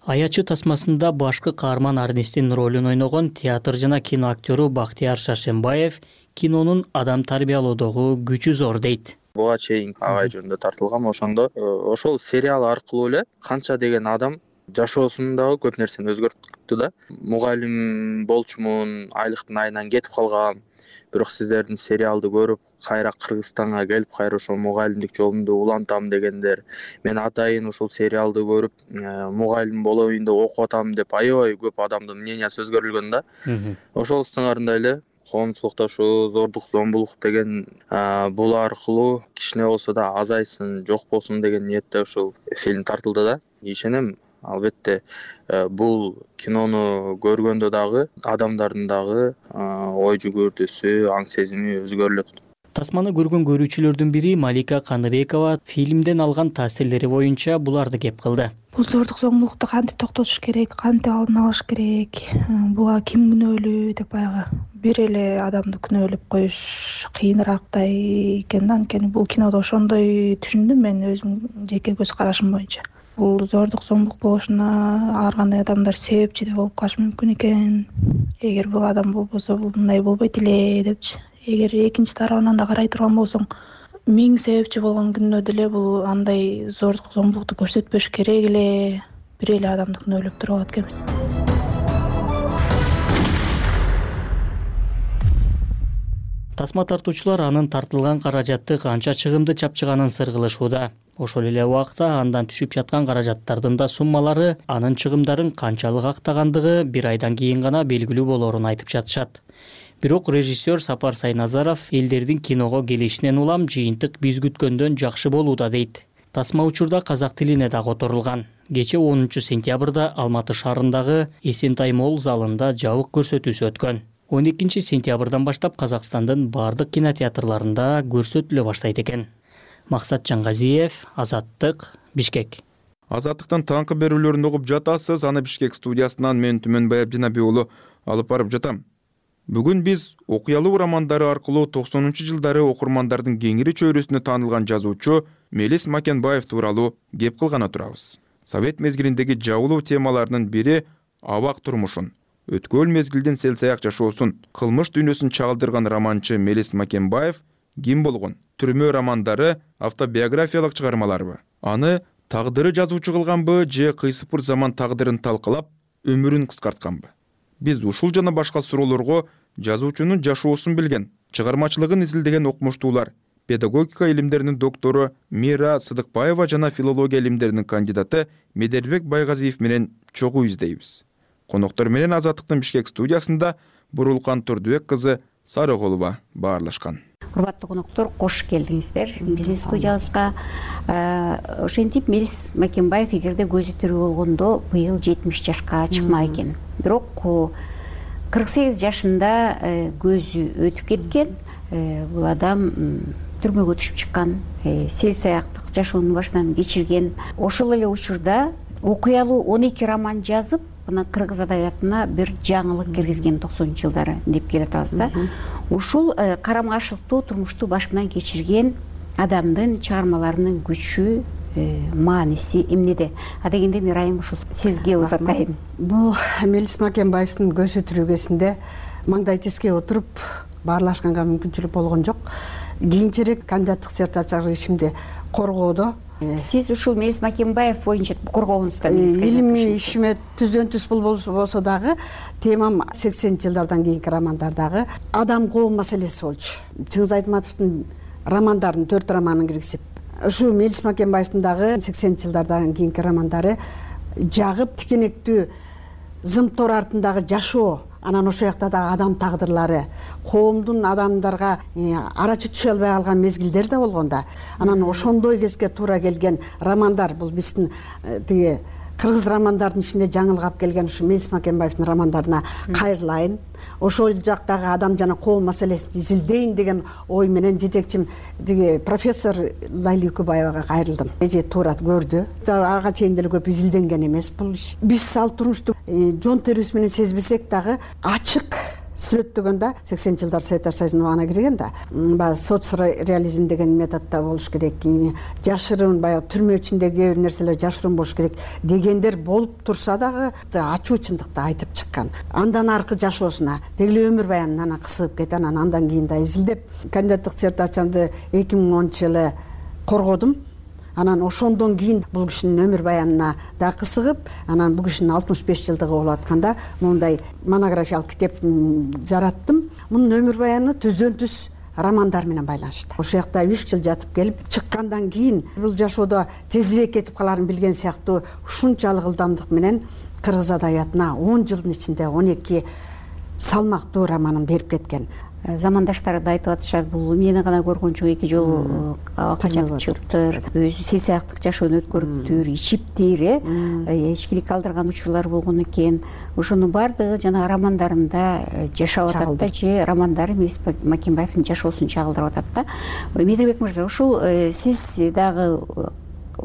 Аячы тасмасында башкы каарман Арнестин ролун ойногон театр жана кино актёру Бактияр Шаршембаев кинонун адам тарбиялоодогу күчү зор дейт. Буга чейин агай жөнүндө тартылган, ошондо ошол сериал аркылуу эле канча деген адам жашоосундагы көп нерсени өзгөрттү да. Мугалим болчумун, айлыктын айынан кетип калган. Бирок сиздердин сериалды көрүп, кайра Кыргызстанга келип, кайра ошол мугалимдик жолунду улантам дегендер. Мен атайын ушул сериалды көрүп, мугалим болоюн деп окуп атам деп аябай көп адамдын мнениясы өзгөрүлгөн да. Ошол сыңарында эле коомчулукта ушу зордук зомбулук деген бул аркылуу кичине болсо да азайсын, жок болсун деген ниетте ушул фильм тартылды да. Ишенем, албетте бул кинону көргөндө дагы адамдардын дагы ой жүгүртүүсү, аң сезими өзгөрүлөт. Тасманы көргөн көрүүчүлөрдүн бири Малика Каныбекова фильмден алган таасирлери боюнча буларды кеп кылды. Бул зордук зомбулукту кантип токтотуш керек, кантип алдын алыш керек, буга ким күнөөлүү деп баягы бир эле адамды күнөөлөп коюш кыйынырактай экен да. Анткени бул кинодо ошондой түшүндүм мен өзүмдүн жеке көз карашым боюнча. Бул зордук зомбулук болушуна ар кандай адамдар себепчи да болуп калышы мүмкүн экен. Эгер бул адам болбосо бул мындай болбойт эле депчи. Эгер экинчи тарабынан да карай турган болсоң, миң себепчи болгон күндө деле бул андай зордук зомбулукту көрсөтпөш керек эле, бир эле адамды күнөөлөп туруп алат экенбиз. Тасма тартуучулар анын тартылган каражатты канча чыгымды чапчыганын сыргылышууда. Ошол эле убакта андан түшүп жаткан каражаттардын да суммалары анын чыгымдарын канчалык актагандыгы бир айдан кийин гана белгилүү болорун айтып жатышат. Бирок режиссер Сапар Сайназаров элдердин киного келишинен улам жыйынтык биз күткөндөн жакшы болууда дейт. Тасма учурда казак тилине да которулган. Кечээ онунчу сентябрда Алматы шаарындагы Эсентай молл залында жабык көрсөтүүсү өткөн. он экинчи сентябрдан баштап Казакстандын бардык кинотеатрларында көрсөтүлө баштайт экен. Максат Жангазиев, Азаттык, Бишкек. Азаттыктын таңкы берүүлөрүн угуп жатасыз. Аны Бишкек студиясынан мен Түмөнбай Абдинабий уулу алып барып жатам. Бүгүн биз окуялуу романдары аркылуу токсонунчу жылдары окурмандардын кеңири чөйрөсүнө таанылган жазуучу Мелис Макенбаев тууралуу кеп кылгана турабыз. Совет мезгилиндеги жабылуу темаларынын бири абак турмушун, өткөн мезгилдин селсаяк жашоосун, кылмыш дүйнөсүн чагылдырган романчы Мелис Макенбаев ким болгон? Түрмө романдары автобиографиялык чыгармаларбы? Аны тагдыры жазуучу кылганбы же кыйсыпыр заман тагдырын талкалап өмүрүн кыскартканбы? Биз ушул жана башка суроолорго жазуучунун жашоосун билген, чыгармачылыгын изилдеген окумуштуулар, педагогика илимдеринин доктору Мира Сыдыкбаева жана филология илимдеринин кандидаты Медербек Байгазиев менен чогуу издейбиз. Коноктор менен Азаттыктын Бишкек студиясында Бурулкан Турдубек кызы Сарыголова баарлашкан. Урматтуу коноктор, кош келдиңиздер биздин студиябызга. Ошентип Мелис Макенбаев эгерде көзү тирүү болгондо быйыл жетимиш жашка чыкмак экен. Бирок кырк сегиз жашында көзү өтүп кеткен. Бул адам түрмөгө түшүп чыккан, сел саяктык жашоонун башынан кечирген. Ошол эле учурда окуялуу он эки роман жазып, мына кыргыз адабиятына бир жаңылык киргизген токсонунчу жылдары деп келатабыз да. Ушул карама каршылыктуу турмушту башынан кечирген адамдын чыгармаларынын күчү, мааниси эмнеде? Адегенде Мирайым ушул сизге узатайын. Бул Мелис Макенбаевдин көзү тирүүгөсүндө маңдай теске отуруп баарлашканга мүмкүнчүлүк болгон жок. Кийинчерээк кандидаттык диссертациялык ишимди коргоодо сиз ушул Мелис Макенбаев боюнча коргооңузда илимий ишиме түздөн түз болсо дагы темам сексенинчи жылдардан кийинки романдардагы адам коом маселеси болчу. Чыңгыз Айтматовдун романдарын, төрт романын киргизип, ушу Мелис Макенбаевдин дагы сексенинчи жылдардан кийинки романдары жагып тикенектүү зымтор артындагы жашоо, анан ошол жакта дагы адам тагдырлары, коомдун адамдарга арачы түшө албай калган мезгилдер да болгон да. Анан ошондой кезге туура келген романдар, бул биздин тиги кыргыз романдардын ичинде жаңылык алып келген ушу Мелис Макенбаевдин романдарына кайрылайын. Ошол жактагы адам жана коом маселесин изилдейин деген ой менен жетекчим тиги профессор Лайли Үкүбаевага кайрылдым. Эже туура көрдү. Ага чейин деле көп изилденген эмес бул иш. Биз ал турмушту жон терибиз менен сезбесек дагы ачык сүрөттөгөндө сексенинчи жылдар Советтер Союзунун убагына кирген да. Баягы соцреализм деген методдо болуш керек. Жашырын, баягы түрмө ичиндеги кээ бир нерселер жашырын болуш керек дегендер болуп турса дагы ачуу чындыкты айтып чыккан. Андан аркы жашоосуна, деги эле өмүр баянына анан кысып кеткен, анан андан кийин да изилдеп кандидаттык диссертациямды эки миң онунчу жылы коргодум. Анан ошондон кийин бул кишинин өмүр баянына да кысыгып, анан бул кишинин алтымыш беш жылдыгы болуп атканда мондай монографиялык китеп жараттым. Мунун өмүр баяны түздөн түз романдар менен байланыштуу. Ошол жакта үч жыл жатып келип чыккандан кийин бул жашоодо тезирээк кетип каларын билген сыяктуу ушунчалык ылдамдык менен кыргыз адабиятына он жылдын ичинде он эки салмактуу романын берип кеткен. Замандаштары да айтып атышат, бул мени гана көргөн жок, эки жолу качып чыгыптыр, өзү сел саяктык жашоону өткөрүптүр, ичиптир, э ичкилик калтырган учурлар болгон экен. Ошонун баардыгы жана романдарында жашап атат да, же романдары Мелис Макенбаевдин жашоосун чагылдырып атат да. Медербек мырза, ушул сиз дагы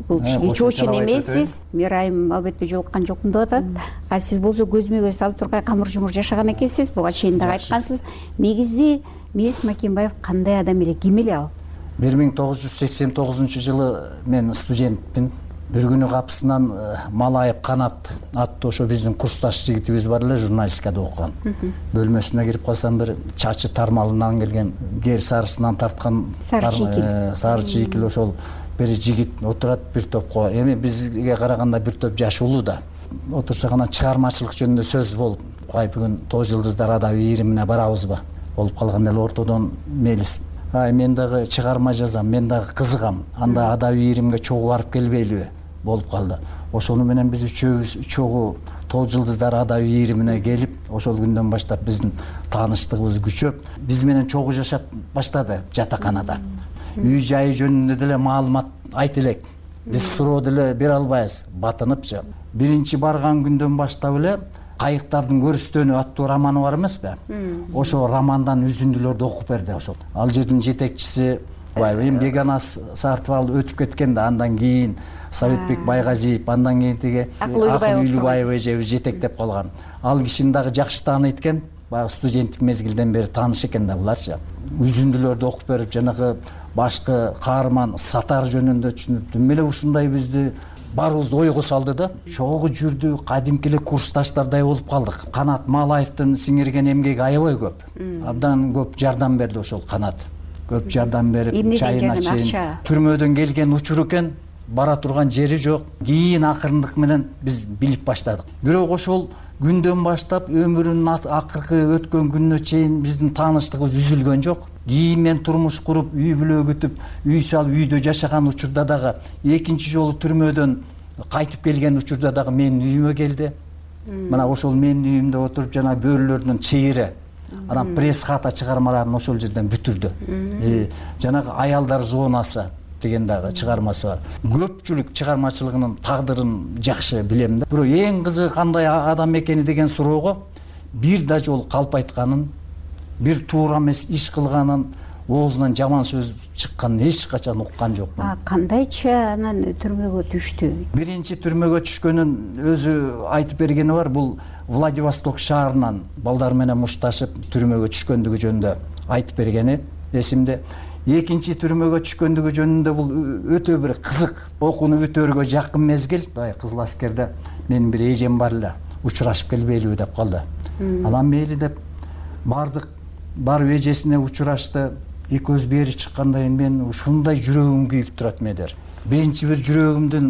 бул кишиге чоочун эмессиз, Мирайым албетте жолуккан жокмун деп атат. А сиз болсо көзмө көз салып тургай камыр жумур жашаган экенсиз, буга чейин дагы айткансыз. Негизи Мелис Макенбаев кандай адам эле, ким эле ал? бир миң тогуз жүз сексен тогузунчу жылы мен студентмин. Бир күнү капысынан Малайып Канап аттуу ошо биздин курсташ жигитибиз бар эле, журналистикада окуган. Бөлмөсүнө кирип калсам, бир чачы тармалынан келген, кер сарысынан тарткан сары чийкил, сары чийкил ошол бир жигит отурат бир топко. Эми бизге караганда бир топ жашылуу да. Отурсак анан чыгармачылык жөнүндө сөз болуп, кай бүгүн Тоз жылдыздар адабий ийримине барабызбы? Болуп калган эле ортодон Мелис: "Ай, мен дагы чыгарма жазам, мен дагы кызыгам. Анда адабий ийримге чогуу барып келбейлиби?" болуп калды. Ошону менен биз үчөөбүз чогуу Тоз жылдыздар адабий ийримине келип, ошол күндөн баштап биздин тааныштыгыбыз күчөп, биз менен чогуу жашап баштады жатаканада. Үй жайы жөнүндө деле маалымат айт элек. Биз суроо деле бере албайбыз, батыныпчы. Биринчи барган күндөн баштап эле Кайыктардын көрүстөнү аттуу романы бар эмеспи? Ошо романдан үзүндүлөрдү окуп берди ошол. Ал жердин жетекчиси эми Бегана Сартыбал өтүп кеткен да, андан кийин Советбек Байгазиев, андан кийин тиги Акыл Үйлүбаев эжебиз жетектеп калган. Ал кишини дагы жакшы тааныйт экен. баягы студенттик мезгилден бери тааныш экен да буларчы. Үзүндүлөрдү окуп берип, жанагы башкы каарман Сатар жөнүндө түшүнүп, эмне эле ушундай бизди баарыбызды ойго салды да. Чогуу жүрдү, кадимки эле курсташтардай болуп калдык. Канат Малаевдин сиңирген эмгеги аябай көп. Абдан көп жардам берди ошол Канат. Көп жардам берип, чайына чейин. Түрмөдөн келген учур экен, бара турган жери жок. Кийин акырындык менен биз билип баштадык. Бирок ошол күндөн баштап өмүрүнүн акыркы өткөн күнүнө чейин биздин тааныштыгыбыз үзүлгөн жок. Кийин мен турмуш куруп, үй бүлө күтүп, үй салып, үйдө жашаган учурда дагы, экинчи жолу түрмөдөн кайтып келген учурда дагы менин үйүмө келди. Мына ошол менин үйүмдө отуруп, жана бөөлөрдүн чейири, анан пресс хата чыгармаларын ошол жерден бүтүрдү. Жанагы аялдар зонасы деген дагы чыгармасы бар. Көпчүлүк чыгармачылыгынын тагдырын жакшы билем да. Бирок эң кызыгы кандай адам экени деген суроого бир да жол калп айтканын, бир туура эмес иш кылганын, оозунан жаман сөз чыкканын эч качан уккан жокмун. Кандайча анан түрмөгө түштү? Биринчи түрмөгө түшкөнүн өзү айтып бергени бар. Бул Владивосток шаарынан балдар менен мушташып түрмөгө түшкөндүгү жөнүндө айтып бергени эсимде. Экинчи түрмөгө түшкөндүгү жөнүндө бул өтө бир кызык, окууну бүтөөргө жакын мезгил. Кызыл аскерде менин бир эжем бар эле, учурашып келбейлиби деп калды. Анан мейли деп бардык, барып эжесине учурашты. Экөөбүз бери чыкканда мен ушундай жүрөгүм күйүп турат медер. Биринчи бир жүрөгүмдүн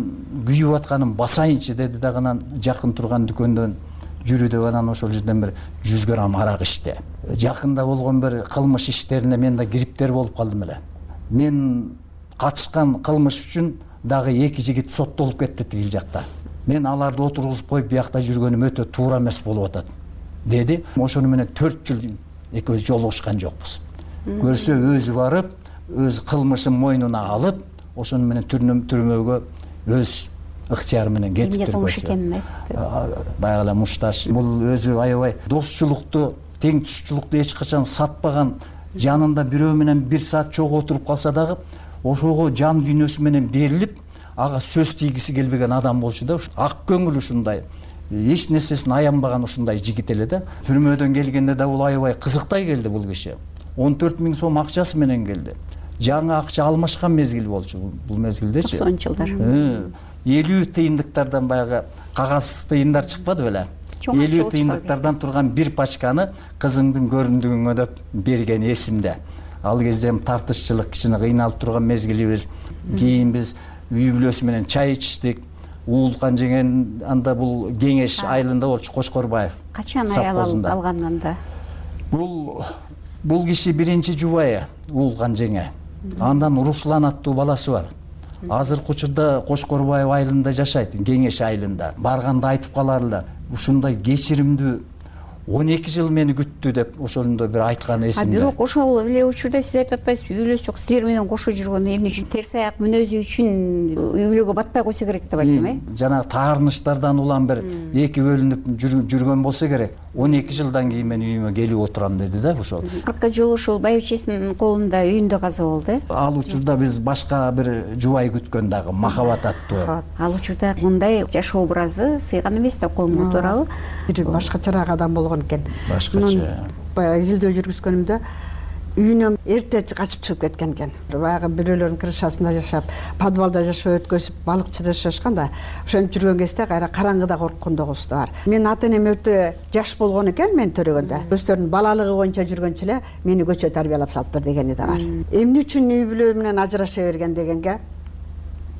күйүп атканын басайынчы деди дагы, анан жакын турган дүкөндөн жүрү деп анан ошол жерден бир жүз грамм арак ичти. Жакында болгон бир кылмыш иштерине мен да кириптер болуп калдым эле. Мен катышкан кылмыш үчүн дагы эки жигит соттолуп кетти тигил жакта. Мен аларды отургузуп коюп биякта жүргөнүм өтө туура эмес болуп атат деди. Ошону менен төрт жыл экөөбүз жолугушкан жокпуз. Көрсө өзү барып, өз кылмышын мойнуна алып, ошону менен түрмөгө өз ыктыяры менен кетип турган. Баягы эле мушташ. Бул өзү аябай достчулукту, тең тушчулукту эч качан сатпаган, жанында бирөө менен бир саат чогуу отуруп калса дагы, ошого жан дүйнөсү менен берилип, ага сөз тийгиси келбеген адам болчу да. Ак көңүл ушундай. Эч нерсесин аянбаган ушундай жигит эле да. Түрмөдөн келгенде да бул аябай кызыктай келди бул киши. он төрт миң сом акчасы менен келди. Жаңы акча алмашкан мезгил болчу бул мезгилдечи. токсонунчу жылдар. элүү тыйындыктардан баягы кагаз тыйындар чыкпады беле? элүү тыйындыктардан турган бир пачканы кызыңдын көрүндүгүңө деп берген эсимде. Ал кезде тартышчылык, кичине кыйналып турган мезгилибиз. Кийин биз үй бүлөсү менен чай ичтик. Уулкан жеген анда бул Кеңеш айылында болчу, Кошкорбаев. Качан аял алган анда? Бул Бул киши биринчи жубайы Уулкан жеңе. Андан Руслан аттуу баласы бар. Азыркы учурда Кошкорбаев айылында жашайт, Кеңеш айылында. Барганда айтып калар эле, ушундай кечиримдүү он эки жыл мени күттү деп ошондо бир айткан эсимде. Бирок ошол эле учурда сиз айтып атпайсызбы, үй бүлөсү жок, силер менен кошо жүргөн, эмне үчүн терс аяк мүнөзү үчүн үй бүлөгө батпай койсо керек деп айттым, э? Жанагы таарынычтардан улам бир эки бөлүнүп жүргөн болсо керек. он эки жылдан кийин мен үйүмө келип отурам деди да ошол. Акыркы жолу ошол байбичесинин колунда үйүндө каза болду, э? Ал учурда биз башка бир жубай күткөн дагы, Махабат аттуу. Ал учурда мындай жашоо образы сыйган эмес да, коомго туурабы? Бир башкачараак адам болгон экен. Башкача. Баягы изилдөө жүргүзгөнүмдө үйүнөн эрте качып чыгып кеткен экен. Баягы бирөөлөрдүн крышасында жашап, подвалда жашоо өткөзүп, балыкчыда жашашкан да. Ошентип жүргөн кезде кайра караңгыда корккондогусу да бар. Менин ата энем өтө жаш болгон экен мен төрөгөндө. Өздөрүнүн балалыгы боюнча жүргөнчө эле мени көчө тарбиялап салыптыр дегени да бар. Эмне үчүн үй бүлө менен ажыраша берген дегенге,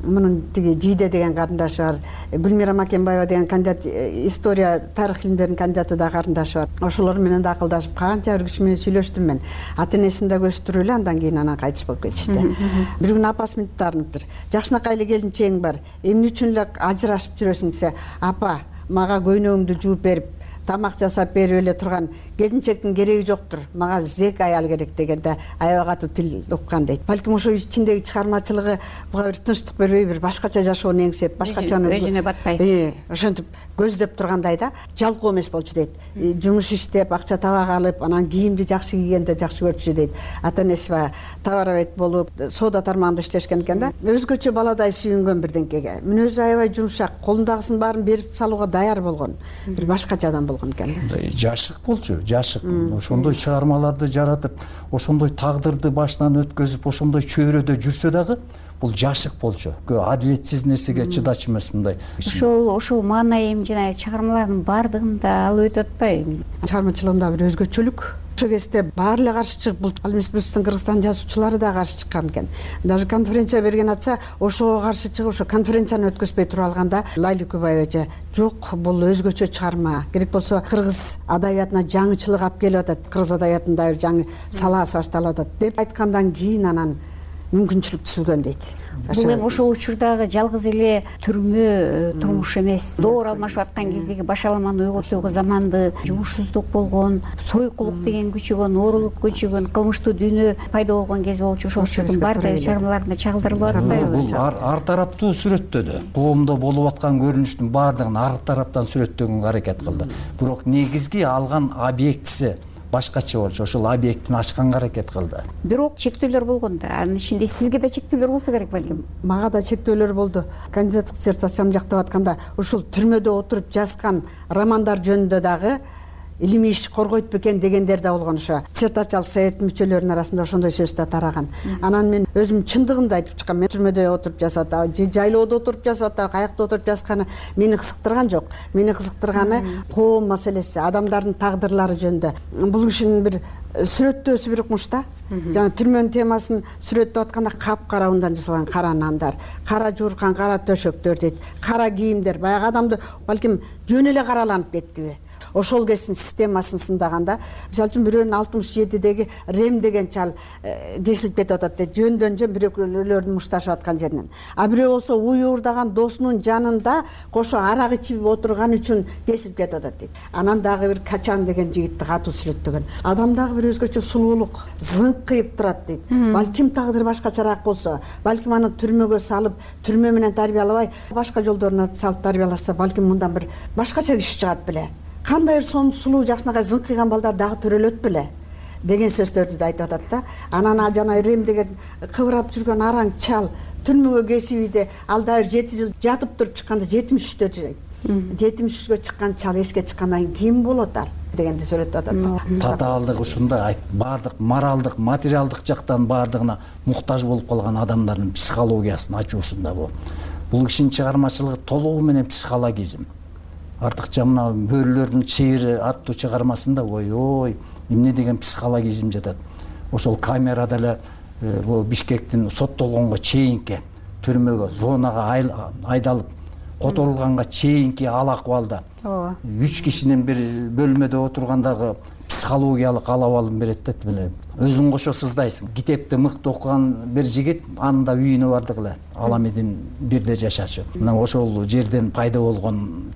мунун тиги Жийде деген карындашы бар, Гүлмира Макенбаева деген кандидат, история, тарых илимдеринин кандидаты да карындашы бар. Ошолор менен да акылдашып, канча бир киши менен сүйлөштүм мен. Ата энесин да көстүрүп эле, андан кийин анан кайтыш болуп кетишти. Бир күнү апасы мынтип таарыныптыр. Жакшынакай эле келинчегиң бар. Эмне үчүн эле ажырашып жүрөсүң десе, апа, мага көйнөгүмдү жууп берип, тамак жасап берип эле турган келинчектин кереги жоктур, мага зек аял керек дегенде аябай катуу тил уккан дейт. Балким ошо ичиндеги чыгармачылыгы буга бир тынчтык бербей, бир башкача жашоону эңсеп, башкачаны өзүнө батпай, э, ошентип көздөп тургандай да, жалкоо эмес болчу дейт. Жумуш иштеп, акча табак алып, анан кийимди жакшы кийгенде жакшы көрчү дейт. Ата энеси баягы товаровед болуп, соода тармагында иштешкен экен да. Өзгөчө баладай сүйүнгөн бирденкеге. Мүнөзү аябай жумшак, колундагысын баарын берип салууга даяр болгон. Бир башкача адам болгон. болгон экен. Мындай жашык болчу, жашык. Ошондой чыгармаларды жаратып, ошондой тагдырды башынан өткөзүп, ошондой чөйрөдө жүрсө дагы бул жашык болчу. Адилетсиз нерсеге чыдачу эмес мындай. Ошол ошол маана эми жана чыгармалардын баардыгында алып өтүп атпайбы? Чыгармачылыгында бир өзгөчөлүк. Ошол кезде баары эле каршы чыгып, бул ал эмес биздин Кыргызстан жазуучулары да каршы чыккан экен. Даже конференция берген атса, ошого каршы чыгып, ошо конференцияны өткөзбөй туруп алганда Лайла Үкүбаева эже жок, бул өзгөчө чыгарма. Керек болсо кыргыз адабиятына жаңычылык алып келип атат, кыргыз адабиятында бир жаңы салаасы башталып атат деп айткандан кийин анан мүмкүнчүлүк түзүлгөн дейт. Бул эми ошол учурдагы жалгыз эле түрмө турмуш эмес. Доор алмашып аткан кездеги башаламаны ойготууга заманды жумушсуздук болгон, сойкулук деген күчөгөн, оорулук күчөгөн, кылмыштуу дүйнө пайда болгон кез болчу. Ошол учурдун баардыгы чыгармаларында чагылдырылып атпайбы? Бул ар тараптуу сүрөттөдү. Коомдо болуп аткан көрүнүштүн баардыгын ар тараптан сүрөттөгөнгө аракет кылды. Бирок негизги алган объектиси башкача болчу. Ошол объектин ачканга аракет кылды. Бирок чектөөлөр болгон да. Анын ичинде сизге да чектөөлөр болсо керек балким. Мага да чектөөлөр болду. Кандидаттык диссертациямды жактап атканда ушул түрмөдө отуруп жазган романдар жөнүндө дагы илимий иш коргойт бекен дегендер да болгон. Ошо диссертациялык советтин мүчөлөрүнүн арасында ошондой сөз да тараган. Анан мен өзүм чындыгымды айтып чыккам. Мен түрмөдө отуруп жазып атам, же жайлоодо отуруп жазып атам, каякта отуруп жазганы мени кызыктырган жок. Мени кызыктырганы коом маселеси, адамдардын тагдырлары жөнүндө. Бул кишинин бир сүрөттөөсү бир укмуш да. Жана түрмөнүн темасын сүрөттөп атканда капкара ундан жасалган кара нандар, кара жууркан кара төшөктөр дейт, кара кийимдер. Баягы адамды балким жөн эле караланып кеттиби? Ошол кездин системасын сындаганда, мисалы үчүн бирөөнүн алтымыш жетидеги Рем деген чал кесилип кетип атат дейт, жөндөн жөн бирөөлөрдүн мушташып аткан жеринен. А бирөө болсо уюурдаган досунун жанында кошо арак ичип отурган үчүн кесилип кетип атат дейт. Анан дагы бир Качан деген жигитти катуу сүрөттөгөн. Адамдагы бир өзгөчө сулуулук, зыңкыйып турат дейт. Балким тагдыр башкачараак болсо, балким аны түрмөгө салып, түрмө менен тарбиялабай, башка жолдоруна салып тарбияласа, балким мындан бир башкача киши чыгат беле. Кандай сонун сулуу жакшынакай зыңкыйган балдар дагы төрөлөт беле деген сөздөрдү да айтып атат да. Анан жана Рем деген кыбырап жүргөн араң чал түрмөгө кесип ийди, ал дагы жети жыл жатып туруп чыкканда жетимиш үчтө жайт. жетимиш үчкө чыккан чал эшикке чыккандан кийин ким болот ал дегенди сүрөттөп атат. Татаалдык ушундай баардык моралдык, материалдык жактан баардыгына муктаж болуп калган адамдардын психологиясын ачуусунда бул. Бул кишинин чыгармачылыгы толугу менен психологизм. Артыкча мына Бөрүлөрдүн чыйыры аттуу чыгармасында ой-ой, эмне деген психологизм жатат. Ошол камерада эле бул Бишкектин соттолгонго чейинки түрмөгө, зонага айдалып, которулганга чейинки ал акыбалда үч кишинин бир бөлмөдө отургандагы психологиялык ал абалын берет да. Өзүң кошо сыздайсың. Китепти мыкты окуган бир жигит анын да үйүнө бардык эле. Аламедин бирде жашачу. Мына ошол жерден пайда болгон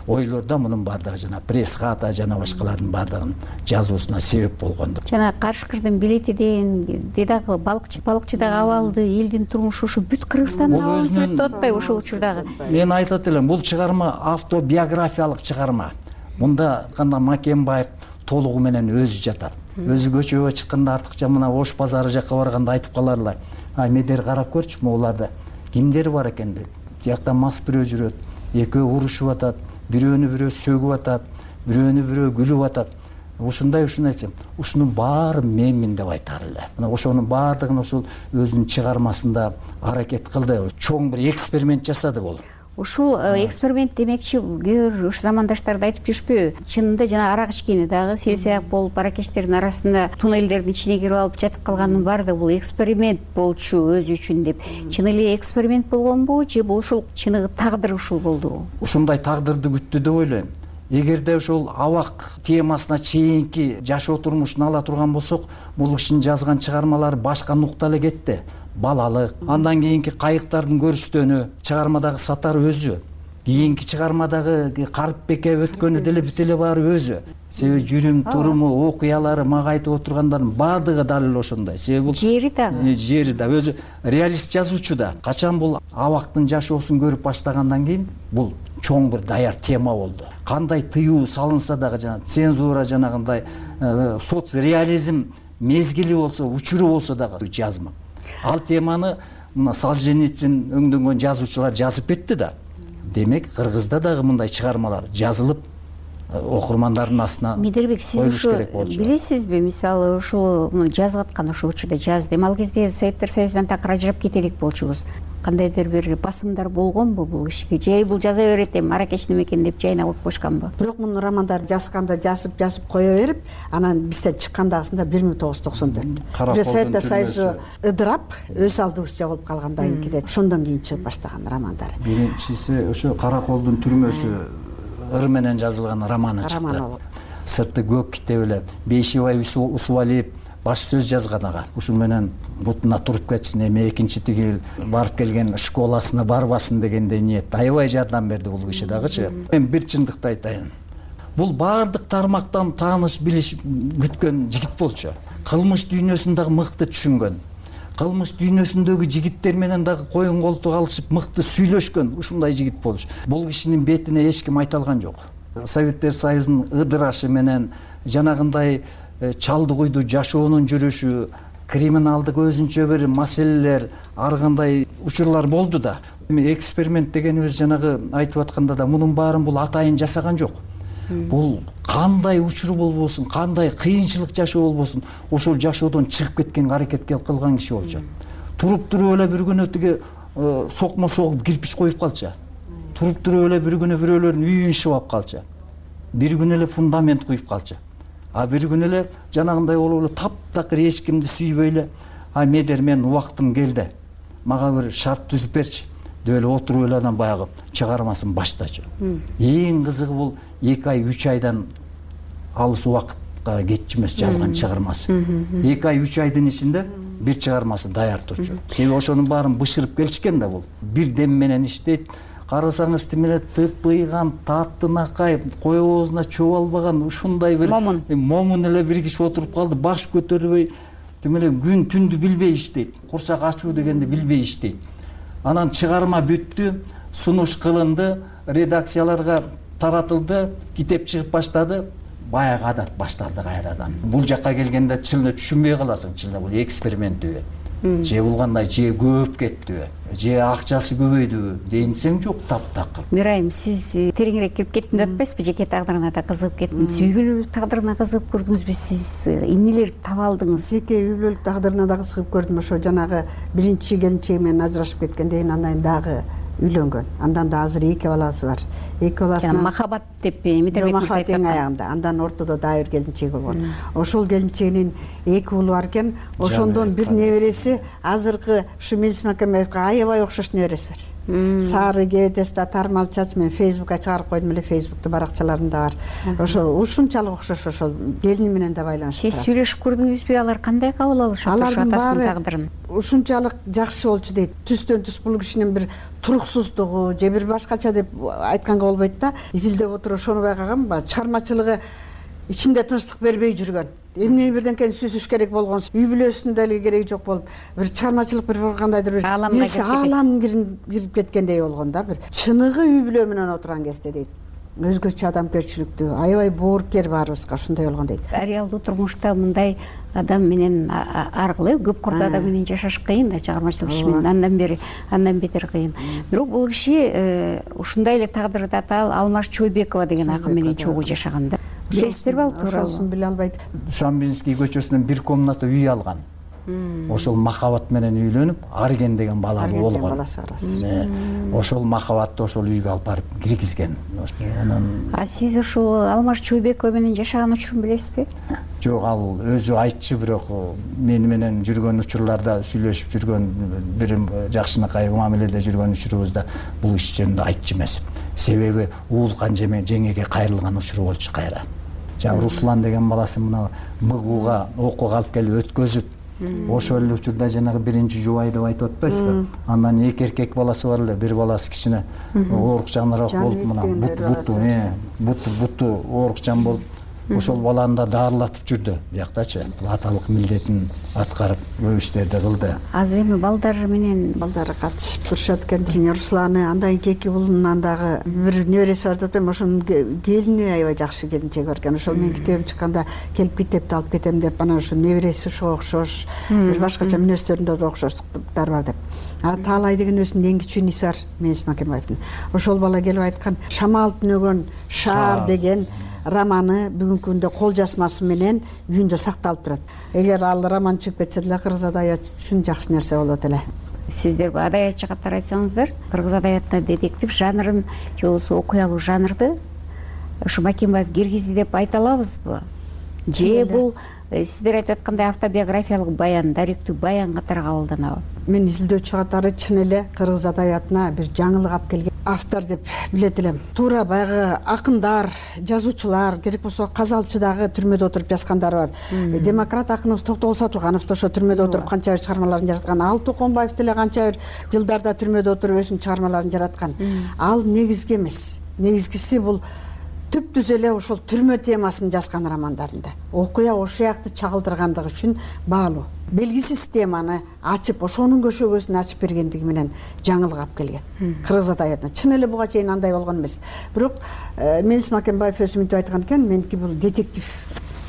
ойлор да мунун баардыгы жана пресс-хата жана башкалардын баардыгынын жазуусуна себеп болгондур. Жана Кашкырдын билети деген дедагы балыкчы балыкчыдагы абалды, элдин турмушу ушу бүт Кыргызстандын абалын сүрөттөп атпайбы ошол учурдагы? Мен айтат элем, бул чыгарма автобиографиялык чыгарма. Мында кандай Макенбаев толугу менен өзү жатат. Өзү көчөгө чыкканда артыкча мына Ош базары жакка барганда айтып каларлар. Ай медер карап көрчү, могуларда кимдер бар экен деп. Тиякта мас бирөө жүрөт, экөө урушуп атат, бирөөнү бирөө сөгүп атат, бирөөнү бирөө күлүп атат. Ушундай ушуну айтсам, ушунун баарын менмин деп айтар эле. Мына ошонун баардыгын ошол өзүнүн чыгармасында аракет кылды. Чоң бир эксперимент жасады бул. Ушул эксперимент демекчи, кээ ушу замандаштарды айтып жүрүшпөйбү? Чынында жана арак ичкени дагы селсияк болуп, аракечтердин арасында туннелдердин ичине кирип алып жатып калганын баардыгы бул эксперимент болчу өзү үчүн деп. Чын эле эксперимент болгонбу же бул ушул чыныгы тагдыр ушул болдубу? Ушундай тагдырды күттү деп ойлойм. Эгерде ошол абак темасына чейинки жашоо турмушун ала турган болсок, бул кишинин жазган чыгармалары башка нукта эле кетти. Балалык, андан кийинки кайыктардын көрүстөнү, чыгармадагы Сатар өзү, кийинки чыгармадагы Карыпбеке өткөнү деле бүт эле баары өзү. Себеби жүрүм туруму, окуялары, мага айтып отургандардын баардыгы дал эле ошондой. Себеби бул жери дагы, жери да өзү реалист жазуучу да. Качан бул абактын жашоосун көрүп баштагандан кийин бул чоң бир даяр тема болду. Кандай тыюу салынса дагы жана цензура жанагындай соцреализм мезгили болсо, учуру болсо дагы жазма. Ал теманы мына Солженицин өңдөнгөн жазуучулар жазып кетти да. Демек, Кыргызда дагы мындай чыгармалар жазылып, окурмандардын астына Медербек, сиз коюлуш ушу керек болчу. билесизби, мисалы ушул жазып аткан ошол учурда жазды. Эми ал кезде Советтер Союзунан такыр ажырап кетелик болчубуз. Кандайдыр бир басымдар болгонбу бул кишиге? Же бул жаза берет эми Маракеш неме экен деп жайына коюп коюшканбы? Бирок мунун романдарын жазганда жазып жазып кое берип, анан бизден чыккандагысында бир миң тогуз жүз токсон төрт. Уже Советтер Союзу ыдырап, өз алдыбызча болуп калгандан кийин ошондон кийин чыгып баштаган романдары. Биринчиси ошо Караколдун түрмөсү ыр менен жазылган романы чыкты. Сырты көк китеп эле Бейшибай Усубалиев баш сөз жазган ага. Ушул менен бутуна туруп кетсин, эми экинчи тигил барып келген школасына барбасын дегендей ниет. Аябай жардам берди бул киши дагычы. Мен бир чындыкты айтайын. Бул баардык тармактан тааныш билиш күткөн жигит болчу. Кылмыш дүйнөсүн дагы мыкты түшүнгөн. Кылмыш дүйнөсүндөгү жигиттер менен дагы коюн колтук алышып мыкты сүйлөшкөн ушундай жигит болчу. Бул кишинин бетине эч ким айта алган жок. Советтер Союзунун ыдырашы менен жанагындай чалды куйду жашоонун жүрүшү, криминалдык өзүнчө бир маселелер, ар кандай учурлар болду да. Эми эксперимент дегенибиз жанагы айтып атканда да мунун баарын бул атайын жасаган жок. Бул кандай учур болбосун, кандай кыйынчылык жашоо болбосун, ошол жашоодон чыгып кеткенге аракет кылган киши болчу. Туруп туруп эле бир күнү тиги сокмо согуп кирпич коюп калчу. Туруп туруп эле бир күнү бирөөлөрдүн үйүн шыбап калчу. Бир күнү эле фундамент куюп калчу. А бир күнү эле жанагындай болуп эле таптакыр эч кимди сүйбөй эле, а медер мен убактым келди. Мага бир шарт түзүп берчи деп эле отуруп эле анан баягы чыгармасын баштачу. Эң кызыгы бул эки ай үч айдан алыс убакытка кетчү эмес жазган чыгармасы. эки ай үч айдын ичинде бир чыгармасы даяр турчу. Себеби ошонун баарын бышырып келишкен да бул. Бир дем менен иштейт. Карасаңыз тимеле тыпыйган, таттынакай, кой оозуна чобалбаган ушундай бир момун момун эле бир киши отуруп калды, баш көтөрбөй, тимеле күн түндү билбей иштейт. Курсак ачуу дегенди билбей иштейт. Анан чыгарма бүттү, сунуш кылынды, редакцияларга таратылды, китеп чыгып баштады. Баягы адат башталды кайрадан. Бул жакка келгенде чылына түшүнбөй каласың, чылына бул эксперименттүү. Же бул кандай, же көп кеттиби, же акчасы көбөйдүбү дейинсең жок, таптакыр. Мирайым, сиз тереңирээк кирип кеттим деп атпайсызбы? Жеке тагдырына да кызыгып кеттим. Үй бүлөлүк тагдырына кызыгып көрдүңүзбү? Сиз эмнелерди таба алдыңыз? Жеке үй бүлөлүк тагдырына да кызыгып көрдүм. Ошо жанагы биринчи келинчеги менен ажырашып кеткенден кийин андан дагы үйлөнгөн. Андан да азыр эки баласы бар. Эки баласынан махабат деп Медербек мырза айтты. Эң аягында. Андан ортодо дагы бир келинчеги болгон. Ошол келинчегинин эки уулу бар экен. Ошондон бир небереси азыркы ушу Мелис Макембаевге аябай окшош небереси бар. Сары кебетеси да тармал чач, мен Фейсбукка чыгарып койдум эле, Фейсбуктун баракчаларында бар. Ошо ушунчалык окшош, ошол келини менен да байланыштуу. Сиз сүйлөшүп көрдүңүзбү? Алар кандай кабыл алышат ошо атасынын тагдырын? Ушунчалык жакшы болчу дейт. Түстөн түс бул кишинин бир туруксуздугу же бир башкача деп айтканга болбойт да. Изилдеп отуруп ошону байкагам, чыгармачылыгы ичинде тынчтык бербей жүргөн. Эмне бирденкени сүзүш керек болгон, үй бүлөсүндө эле кереги жок болуп, бир чыгармачылык бир кандайдыр бир аалам кирип кеткендей болгон да, бир чыныгы үй бүлө менен отурган кезде дейт. Өзгөчө адамгерчиликтүү, аябай боорукер баарыбызга ошондой болгон дейт. Реалдуу турмушта мындай адам менен аркылуу көп курда адам менен жашаш кыйын да, чыгармачылык иш менен андан бери андан бетер кыйын. Бирок бул киши ушундай эле тагдырда Алмаш Чойбекова деген акын менен чогуу жашаган да. Билесиздерби ал тууралуу? Ошону биле албайт. Шамбинский көчөсүнөн бир комната үй алган. Ошол махабат менен үйлөнүп, Арген деген бала болгон. Ошол махабатты ошол үйгө алып барып киргизген. А сиз ушул Алмаш Чойбекова менен жашаган учурун билесизби? Жок, ал өзү айтчу, бирок мени менен жүргөн учурларда сүйлөшүп жүргөн, бир жакшынакай мамиледе жүргөн учурубузда бул иш жөнүндө айтчу эмес. Себеби уулкан жеңеге кайрылган учуру болчу кайра. Жана Руслан деген баласы мына МГУга окууга алып келип өткөзүп, ошол эле учурда жанагы биринчи жубай деп айтып атпайсызбы? Андан эки эркек баласы бар эле, бир баласы кичине оорукчаныраак болуп, мына буту, э, буту буту оорукчан болуп, ошол баланы да даарылатып жүрдү бияктачы. Аталык милдетин аткарып, көп иштерди кылды. Азыр эми балдар менен балдары катышып турушат экен. Русланы, андан кийин эки уулунан дагы бир небереси бар деп атпайм, ошонун келини аябай жакшы келинчеги бар экен. Ошол мен китебим чыкканда келип китепти алып кетем деп, анан ошо небереси ошого окшош, бир башкача мүнөздөрүндө да окшоштуктар бар деп. А Таалай деген өзүнүн эң кичүү иниси бар, Мелис Макембаевдин. Ошол бала келип айткан, шамал түнөгөн шаар деген романы бүгүнкү күндө кол жазмасы менен үйүндө сакталып турат. Эгер ал роман чыгып кетсе деле кыргыз адабияты үчүн жакшы нерсе болот эле. Сиздер адаятчы катары айтсаңыздар, кыргыз адаятына детектив жанрын же болбосо окуялуу жанрды ушу Макенбаев киргизди деп айта алабызбы? Же бул сиздер айтып аткандай автобиографиялык баян, даректүү баян катары кабылданабы? Мен изилдөөчү катары чын эле кыргыз адаятына бир жаңылык алып келген автор деп билет элем. Туура баягы акындар, жазуучулар, керек болсо Казалчыдагы түрмөдө отуруп жазгандары бар. Демократ акыныбыз Токтогул Сатылганов да ошо түрмөдө отуруп канча бир чыгармаларын жараткан. Ал Токонбаев деле канча бир жылдарда түрмөдө отуруп өзүнүн чыгармаларын жараткан. Ал негизги эмес. Негизгиси бул түп-түз эле ошол түрмө темасын жазган романдарында. Окуя ошол жакты чагылдыргандыгы үчүн баалуу. Белгисиз теманы ачып, ошонун көшөгөсүн ачып бергендиги менен жаңылык алып келген. Кыргыз адаятына чын эле буга чейин андай болгон эмес. Бирок Мелис Макенбаев өзү мынтип айткан экен, меники бул детектив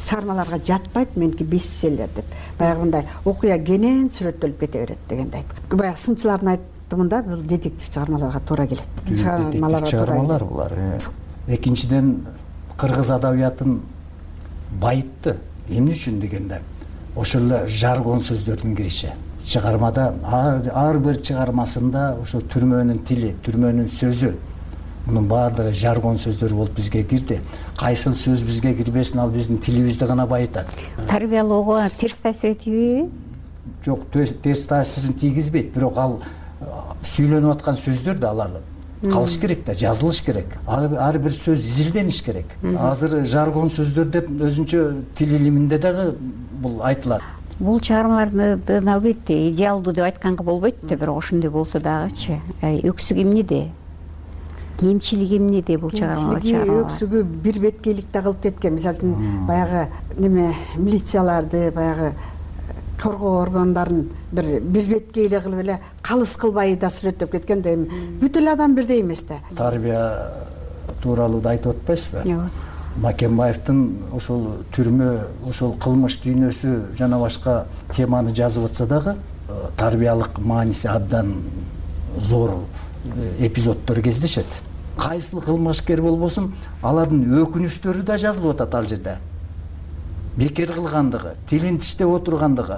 чыгармаларга жатпайт, меники бестселлер деп. Баягы мындай окуя кенен сүрөттөлүп кете берет дегенди айткан. Баягы сынчылардын айтымында бул детектив чыгармаларга туура келет. Чыгармалар булар. Экинчиден, кыргыз адабиятын байытты. Эмне үчүн дегенде, ошол эле жаргон сөздөрдүн кириши. Чыгармада ар бир чыгармасында ошо түрмөнүн тили, түрмөнүн сөзү, мунун баардыгы жаргон сөздөр болуп бизге кирди. Кайсыл сөз бизге кирбесин, ал биздин тилибизди гана байытат. Тарбиялоого терс таасир этпейби? Жок, терс таасирин тийгизбейт, бирок ал сүйлөнүп аткан сөздөр да алар калыш керек да, жазылыш керек. Ар бир сөз изилдениш керек. Азыр жаргон сөздөр деп өзүнчө тил илиминде дагы бул айтылат. Бул чыгармалардын албетте идеалдуу деп айтканга болбойт да, бирок ошондой болсо дагычы. Өксүк эмнеде? Кемчилиги эмнеде бул чыгармалар? Өксүгү бир беткейлик да кылып кеткен. Мисалы үчүн баягы неме милицияларды, баягы коргоо органдарын бир бир беткейлик кылып эле калыс кылбай да сүрөттөп кеткен да, эми бүт эле адам бирдей эмес да. Тарбия тууралуу да айтып атпайсызбы? Ооба. Макенбаевдин ошол түрмө, ошол кылмыш дүйнөсү жана башка теманы жазып атса дагы, тарбиялык мааниси абдан зор эпизоддор кездешет. Кайсыл кылмышкер болбосун, алардын өкүнүчтөрү да жазылып атат ал жерде. Бекер кылгандыгы, тилин тиштеп отургандыгы,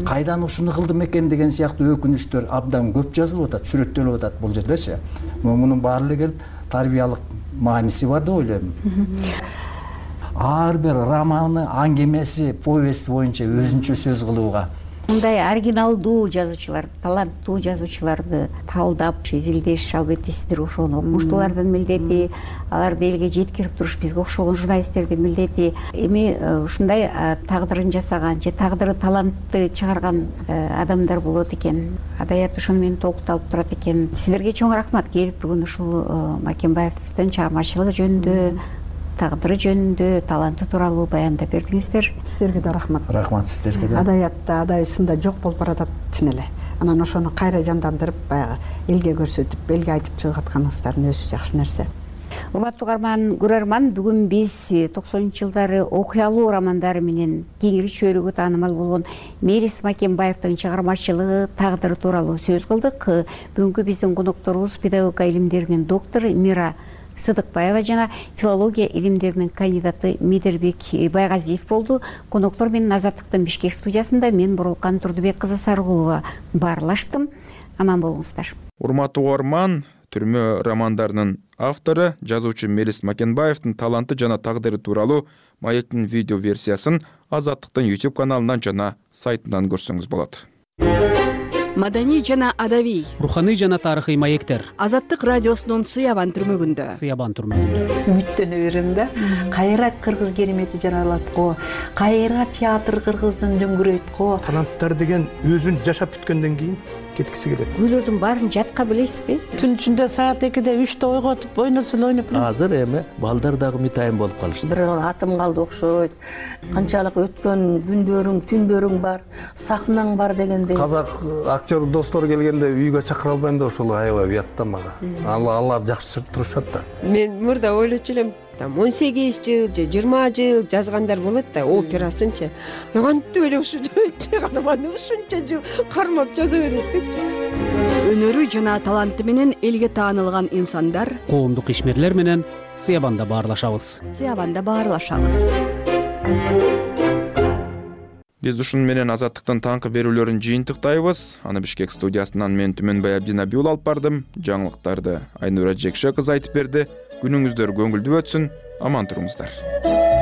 кайдан ушуну кылдым экен деген сыяктуу өкүнүчтөр абдан көп жазылып атат, сүрөттөлүп атат бул жердечи. Мунун баары эле келип тарбиялык мааниси бар деп ойлойм. Ар бир романы, аңгемеси, повести боюнча өзүнчө сөз кылууга. Мындай оригиналдуу жазуучулар, таланттуу жазуучуларды талдап, изилдеш, албетте сиздер ошону окумуштуулардын милдети, аларды элге жеткирип туруш бизге окшогон журналисттердин милдети. Эми ушундай тагдырын жасаган же тагдыры талантты чыгарган адамдар болот экен. Адаят ошону менен толукталып турат экен. Сиздерге чоң рахмат, келип бүгүн ушул Макенбаевдин чыгармачылыгы жөнүндө, тагдыры жөнүндө, таланты тууралуу баяндап бердиңиздер. Сиздерге да рахмат. Рахмат сиздерге да. Адаятта, адайысында жок болуп баратат чын эле. Анан ошону кайра жандандырып, баягы элге көрсөтүп, элге айтып чыгып атканыңыздардын өзү жакшы нерсе. Урматтуу угарман, көрөрман, бүгүн биз токсонунчу жылдары окуялуу романдары менен кеңири чөйрөгө таанымал болгон Мелис Макенбаевдин чыгармачылыгы, тагдыры тууралуу сөз кылдык. Бүгүнкү биздин конокторубуз педагогика илимдеринин доктору Мира Сыдыкбаева жана филология илимдеринин кандидаты Медербек Байгазиев болду. Коноктор менен Азаттыктын Бишкек студиясында мен Бурулкан Турдубек кызы Сарыгулова баарлаштым. Аман болуңуздар. Урматтуу угарман, түрмө романдарынын автору, жазуучу Мелис Макенбаевдин таланты жана тагдыры тууралуу маектин видео версиясын Азаттыктын YouTube каналынан жана сайтынан көрсөңүз болот. Маданий жана адабий, руханий жана тарыхый маектер. Азаттык радиосунун Сыябан түрмөгүндө. Сыябан түрмөгүндө. Үмүттөнө берем да. Кайра кыргыз керемети жаралат го. Кайра театр кыргыздын дөңгүрөйт го. Таланттар деген өзүн жашап бүткөндөн кийин кеткиси келет. Күйлөрдүн баарын жатка билесизби? Түн ичинде саат экиде үчтө ойготуп, ойносо эле ойноп. Азыр эми балдар дагы мытайын болуп калышты. Бир атым калды окшойт. Канчалык өткөн күндөрүң, түндөрүң бар, сахнаң бар дегендей. Казак актер достор келгенде үйгө чакыра албайм да ошол аябай уят да мага. Алар жакшы турушат да. Мен мурда ойлочу элем, там он сегиз жыл же жыйырма жыл жазгандар болот да, операсынчы. Кантип эле ушу чыгарманы ушунча жыл кармап жаза берет деп. өнөрү жана таланты менен элге таанылган инсандар коомдук ишмерлер менен Сыябанда баарлашабыз. Сыябанда баарлашабыз. Биз ушун менен Азаттыктын таңкы берүүлөрүн жыйынтыктайбыз. Аны Бишкек студиясынан мен Түмөнбай Абдинабиул алып бардым. Жаңылыктарды Айнура Жекше кызы айтып берди. Күнүңүздөр көңүлдүү өтсүн. Аман туруңуздар.